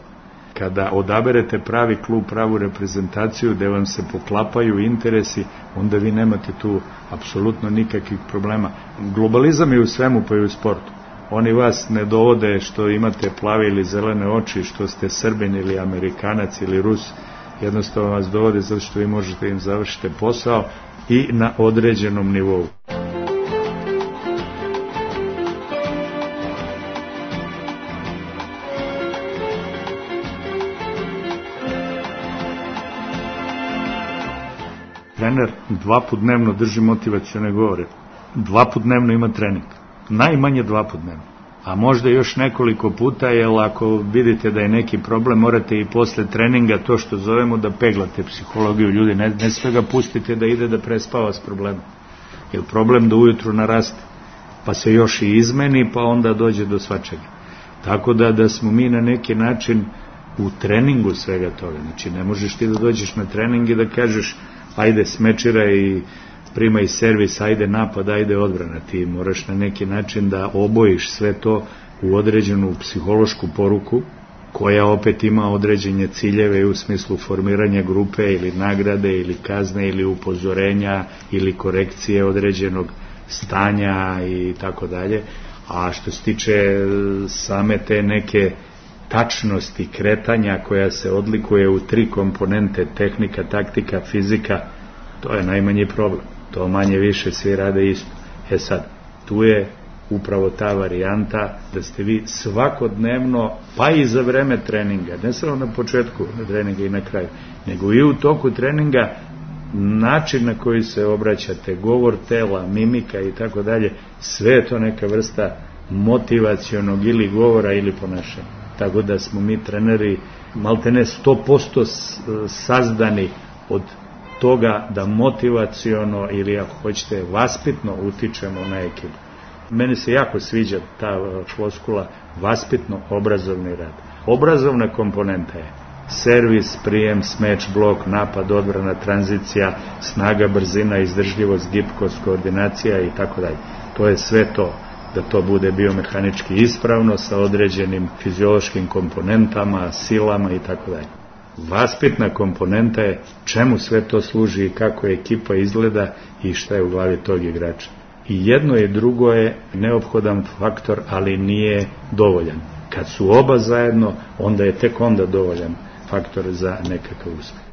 Kada odaberete pravi klub, pravu reprezentaciju, gde vam se poklapaju interesi, onda vi nemate tu apsolutno nikakvih problema. Globalizam je u svemu, pa i u sportu. Oni vas ne dovode što imate plave ili zelene oči, što ste Srbin ili Amerikanac ili Rus, jednostavno vas dovode zato što vi možete im završiti posao i na određenom nivou. Trener dva put dnevno drži motivacione govore, dva put dnevno ima trening, najmanje dva put dnevno, a možda još nekoliko puta, jer ako vidite da je neki problem, morate i posle treninga, to što zovemo, da peglate psihologiju ljudi, ne, ne sve ga pustite da ide da prespava s problemom, jer problem da ujutru naraste, pa se još i izmeni, pa onda dođe do svačega. Tako da, da smo mi na neki način u treningu svega toga, znači ne možeš ti da dođeš na trening i da kažeš ajde smečira i primaj servis, ajde napad, ajde odbrana. Ti moraš na neki način da obojiš sve to u određenu psihološku poruku, koja opet ima određene ciljeve u smislu formiranja grupe ili nagrade ili kazne ili upozorenja ili korekcije određenog stanja i tako dalje. A što se tiče same te neke tačnosti kretanja koja se odlikuje u tri komponente, tehnika, taktika, fizika, to je najmanji problem. To manje više svi rade isto. E sad, tu je upravo ta varijanta da ste vi svakodnevno, pa i za vreme treninga, ne samo na početku treninga i na kraju, nego i u toku treninga, način na koji se obraćate, govor tela, mimika i tako dalje, sve je to neka vrsta motivacionog ili govora ili ponašanja. Tako da smo mi treneri maltene sto posto sazdani od toga da motivaciono ili ako hoćete vaspitno utičemo na ekipu. Meni se jako sviđa ta floskula vaspitno obrazovni rad. Obrazovna komponenta je servis, prijem, smeč, blok, napad, odbrana, tranzicija, snaga, brzina, izdržljivost, gibkost, koordinacija i tako dalje. To je sve to, da to bude biomehanički ispravno sa određenim fiziološkim komponentama, silama i tako dalje. Vaspitna komponenta je čemu sve to služi i kako ekipa izgleda i šta je u glavi tog igrača. I jedno i drugo je neophodan faktor, ali nije dovoljan. Kad su oba zajedno, onda je tek onda dovoljan faktor za nekakav uspjeh.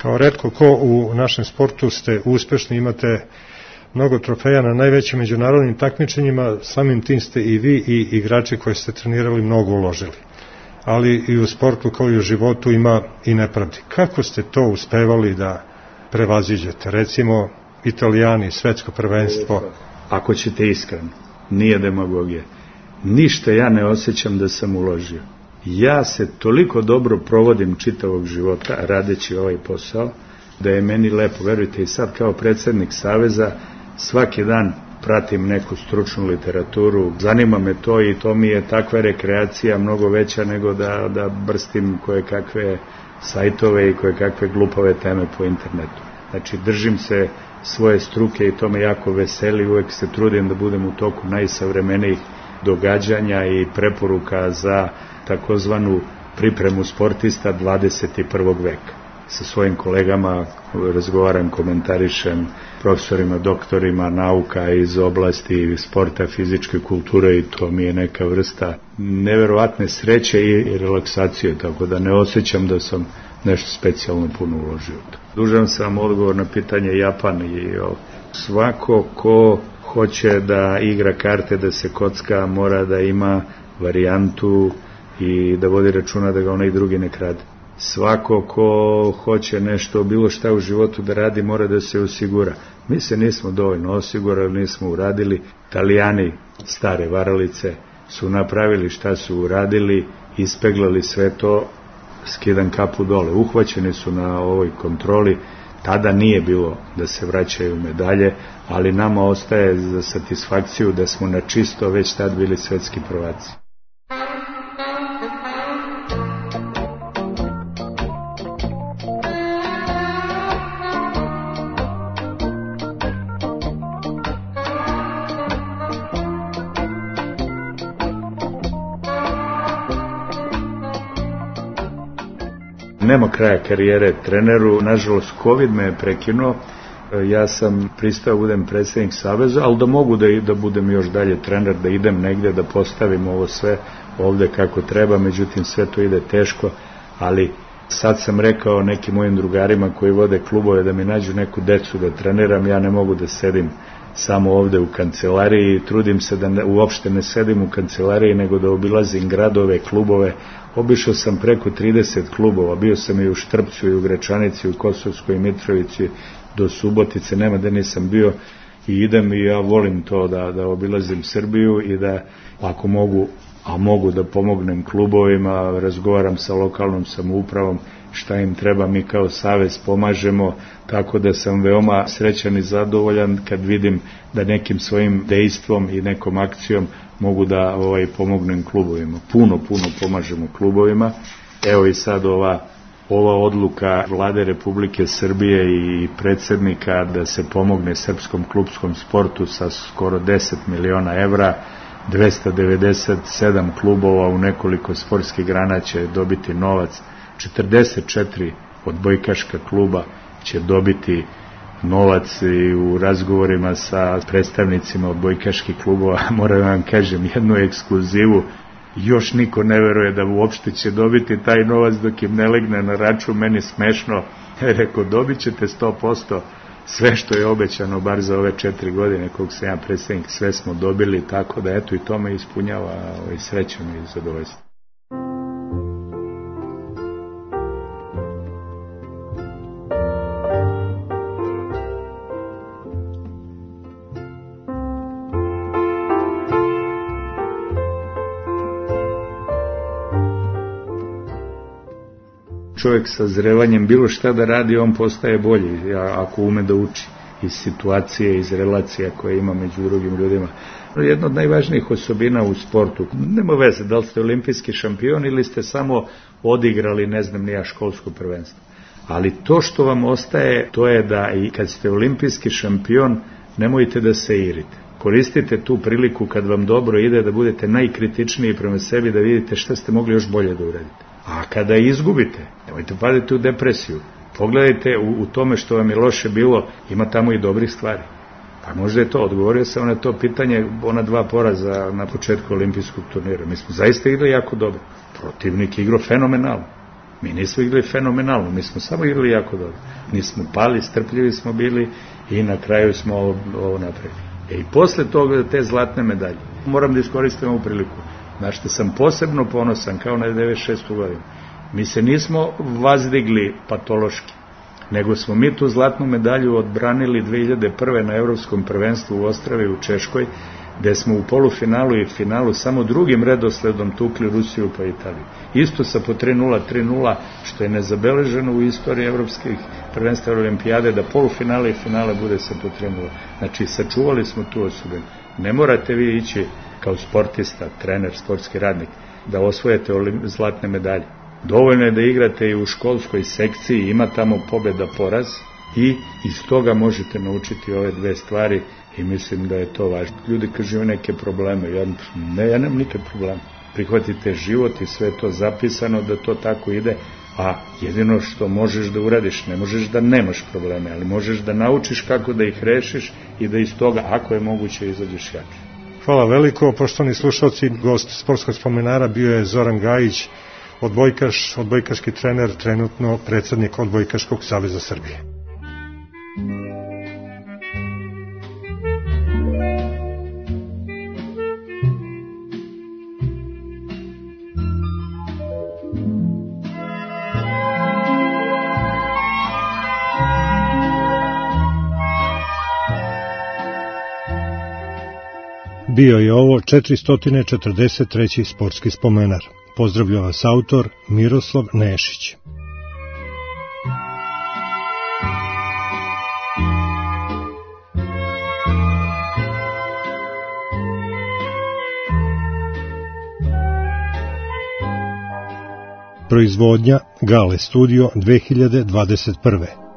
Kao retko ko u našem sportu ste uspešni, imate mnogo trofeja na najvećim međunarodnim takmičenjima, samim tim ste i vi i igrači koji ste trenirali mnogo uložili. Ali i u sportu kao i u životu ima i nepravdi. Kako ste to uspevali da prevaziđete? Recimo, Italijani, svetsko prvenstvo. Ako ćete iskreno, nije demagogija. Ništa ja ne osjećam da sam uložio. Ja se toliko dobro provodim čitavog života radeći ovaj posao, da je meni lepo. Verujte, i sad kao predsjednik Saveza svaki dan pratim neku stručnu literaturu, zanima me to i to mi je takva rekreacija mnogo veća nego da, da brstim koje kakve sajtove i koje kakve glupave teme po internetu. Znači, držim se svoje struke i to me jako veseli, uvek se trudim da budem u toku najsavremenijih događanja i preporuka za takozvanu pripremu sportista dvadeset prvog veka. Sa svojim kolegama razgovaram, komentarišem, profesorima, doktorima nauka iz oblasti sporta, fizičke kulture i to mi je neka vrsta neverovatne sreće i relaksacije, tako da ne osjećam da sam nešto specijalno puno uložio. Dužan sam odgovor na pitanje Japan i o, svako ko hoće da igra karte, da se kocka, mora da ima varijantu i da vodi računa da ga onaj drugi ne krade. Svako ko hoće nešto, bilo šta u životu da radi, mora da se osigura. Mi se nismo dovoljno osigurali, nismo uradili. Italijani, stare varalice, su napravili šta su uradili, ispeglali sve to, skidan kapu dole. Uhvaćeni su na ovoj kontroli, tada nije bilo da se vraćaju medalje, ali nama ostaje za satisfakciju da smo na čisto već tad bili svetski prvaci. Nema kraja karijere treneru, nažalost COVID me je prekinuo, ja sam pristao budem predsjednik Saveza, ali da mogu da, da budem još dalje trener, da idem negdje, da postavim ovo sve ovde kako treba, međutim sve to ide teško, ali sad sam rekao nekim mojim drugarima koji vode klubove da mi nađu neku decu da treniram, ja ne mogu da sedim samo ovde u kancelariji, trudim se da ne, uopšte ne sedim u kancelariji, nego da obilazim gradove, klubove. Obišao sam preko trideset klubova, bio sam i u Štrpcu, i u Gračanici, u Kosovskoj Mitrovici, do Subotice, nema da nisam bio, i idem i ja volim to da, da obilazim Srbiju i da ako mogu, a mogu da pomognem klubovima, razgovaram sa lokalnom samoupravom, šta im treba, mi kao savez pomažemo, tako da sam veoma srećan i zadovoljan kad vidim da nekim svojim dejstvom i nekom akcijom mogu da ovaj pomognem klubovima. Puno, puno pomažemo klubovima. Evo i sad ova, ova odluka Vlade Republike Srbije i predsjednika da se pomogne srpskom klubskom sportu sa skoro deset miliona evra, dvesta devedeset sedam klubova u nekoliko sportskih grana će dobiti novac, četrdeset četiri odbojkaška kluba će dobiti novac i u razgovorima sa predstavnicima odbojkaških klubova, moram vam kažem jednu ekskluzivu, još niko ne veruje da uopšte će dobiti taj novac dok im ne legne na račun, meni smešno, rekao dobit ćete sto posto sve što je obećano bar za ove četiri godine kog sam ja predstavnik, sve smo dobili, tako da eto i to me ispunjava ovaj, srećom i zadovoljstvo. čovjek sa zrevanjem bilo šta da radi, on postaje bolji, ako ume da uči iz situacije, iz relacija koje ima među drugim ljudima. Jedna od najvažnijih osobina u sportu, nema veze da li ste olimpijski šampion ili ste samo odigrali, ne znam, nija školsko prvenstvo. Ali to što vam ostaje, to je da i kad ste olimpijski šampion, nemojte da se irite. Koristite tu priliku kad vam dobro ide da budete najkritičniji prema sebi, da vidite šta ste mogli još bolje da uradite. A kada izgubite, nemojte paditi u depresiju. Pogledajte u, u tome što vam je loše bilo, ima tamo i dobrih stvari. Pa možda je to, odgovorio sam na to pitanje, ona dva poraza na početku olimpijskog turnira. Mi smo zaista igrali jako dobro. Protivnik igrao fenomenalno. Mi nismo igrali fenomenalno, mi smo samo igrali jako dobro. Nismo pali, strpljivi smo bili i na kraju smo ovo, ovo napravili. E i posle toga te zlatne medalje, moram da iskoristim ovu priliku, na što sam posebno ponosan, kao na devedeset šestu godinu. Mi se nismo vazdigli patološki, nego smo mi tu zlatnu medalju odbranili dve hiljade prve. na Evropskom prvenstvu u Ostravi u Češkoj, gde smo u polufinalu i finalu samo drugim redosledom tukli Rusiju pa Italiju. Isto sa po tri nula, tri nula, što je nezabeleženo u istoriji evropskih prvenstva olimpijade, da polufinale i finale bude sa po tri nula. Znači, sačuvali smo tu osobinu. Ne morate vi ići kao sportista, trener, sportski radnik, da osvojete zlatne medalje. Dovoljno je da igrate i u školskoj sekciji, ima tamo pobjeda, poraz, i iz toga možete naučiti ove dve stvari i mislim da je to važno. Ljudi kažu imaju neke probleme, ja, ne, ja nemam nikad problema. Prihvatite život i sve je to zapisano da to tako ide, a jedino što možeš da uradiš, ne možeš da nemaš probleme, ali možeš da naučiš kako da ih rešiš i da iz toga, ako je moguće, izađeš jače. Hvala veliko, poštovani slušalci, gost sportskog spomenara bio je Zoran Gajić, odbojkaš, odbojkaški trener, trenutno predsednik Odbojkaškog saveza Srbije. Bio je ovo četiristo četrdeset treći sportski spomenar. Pozdravlja vas autor Miroslav Nešić. Proizvodnja Gale Studio dve hiljade dvadeset prve.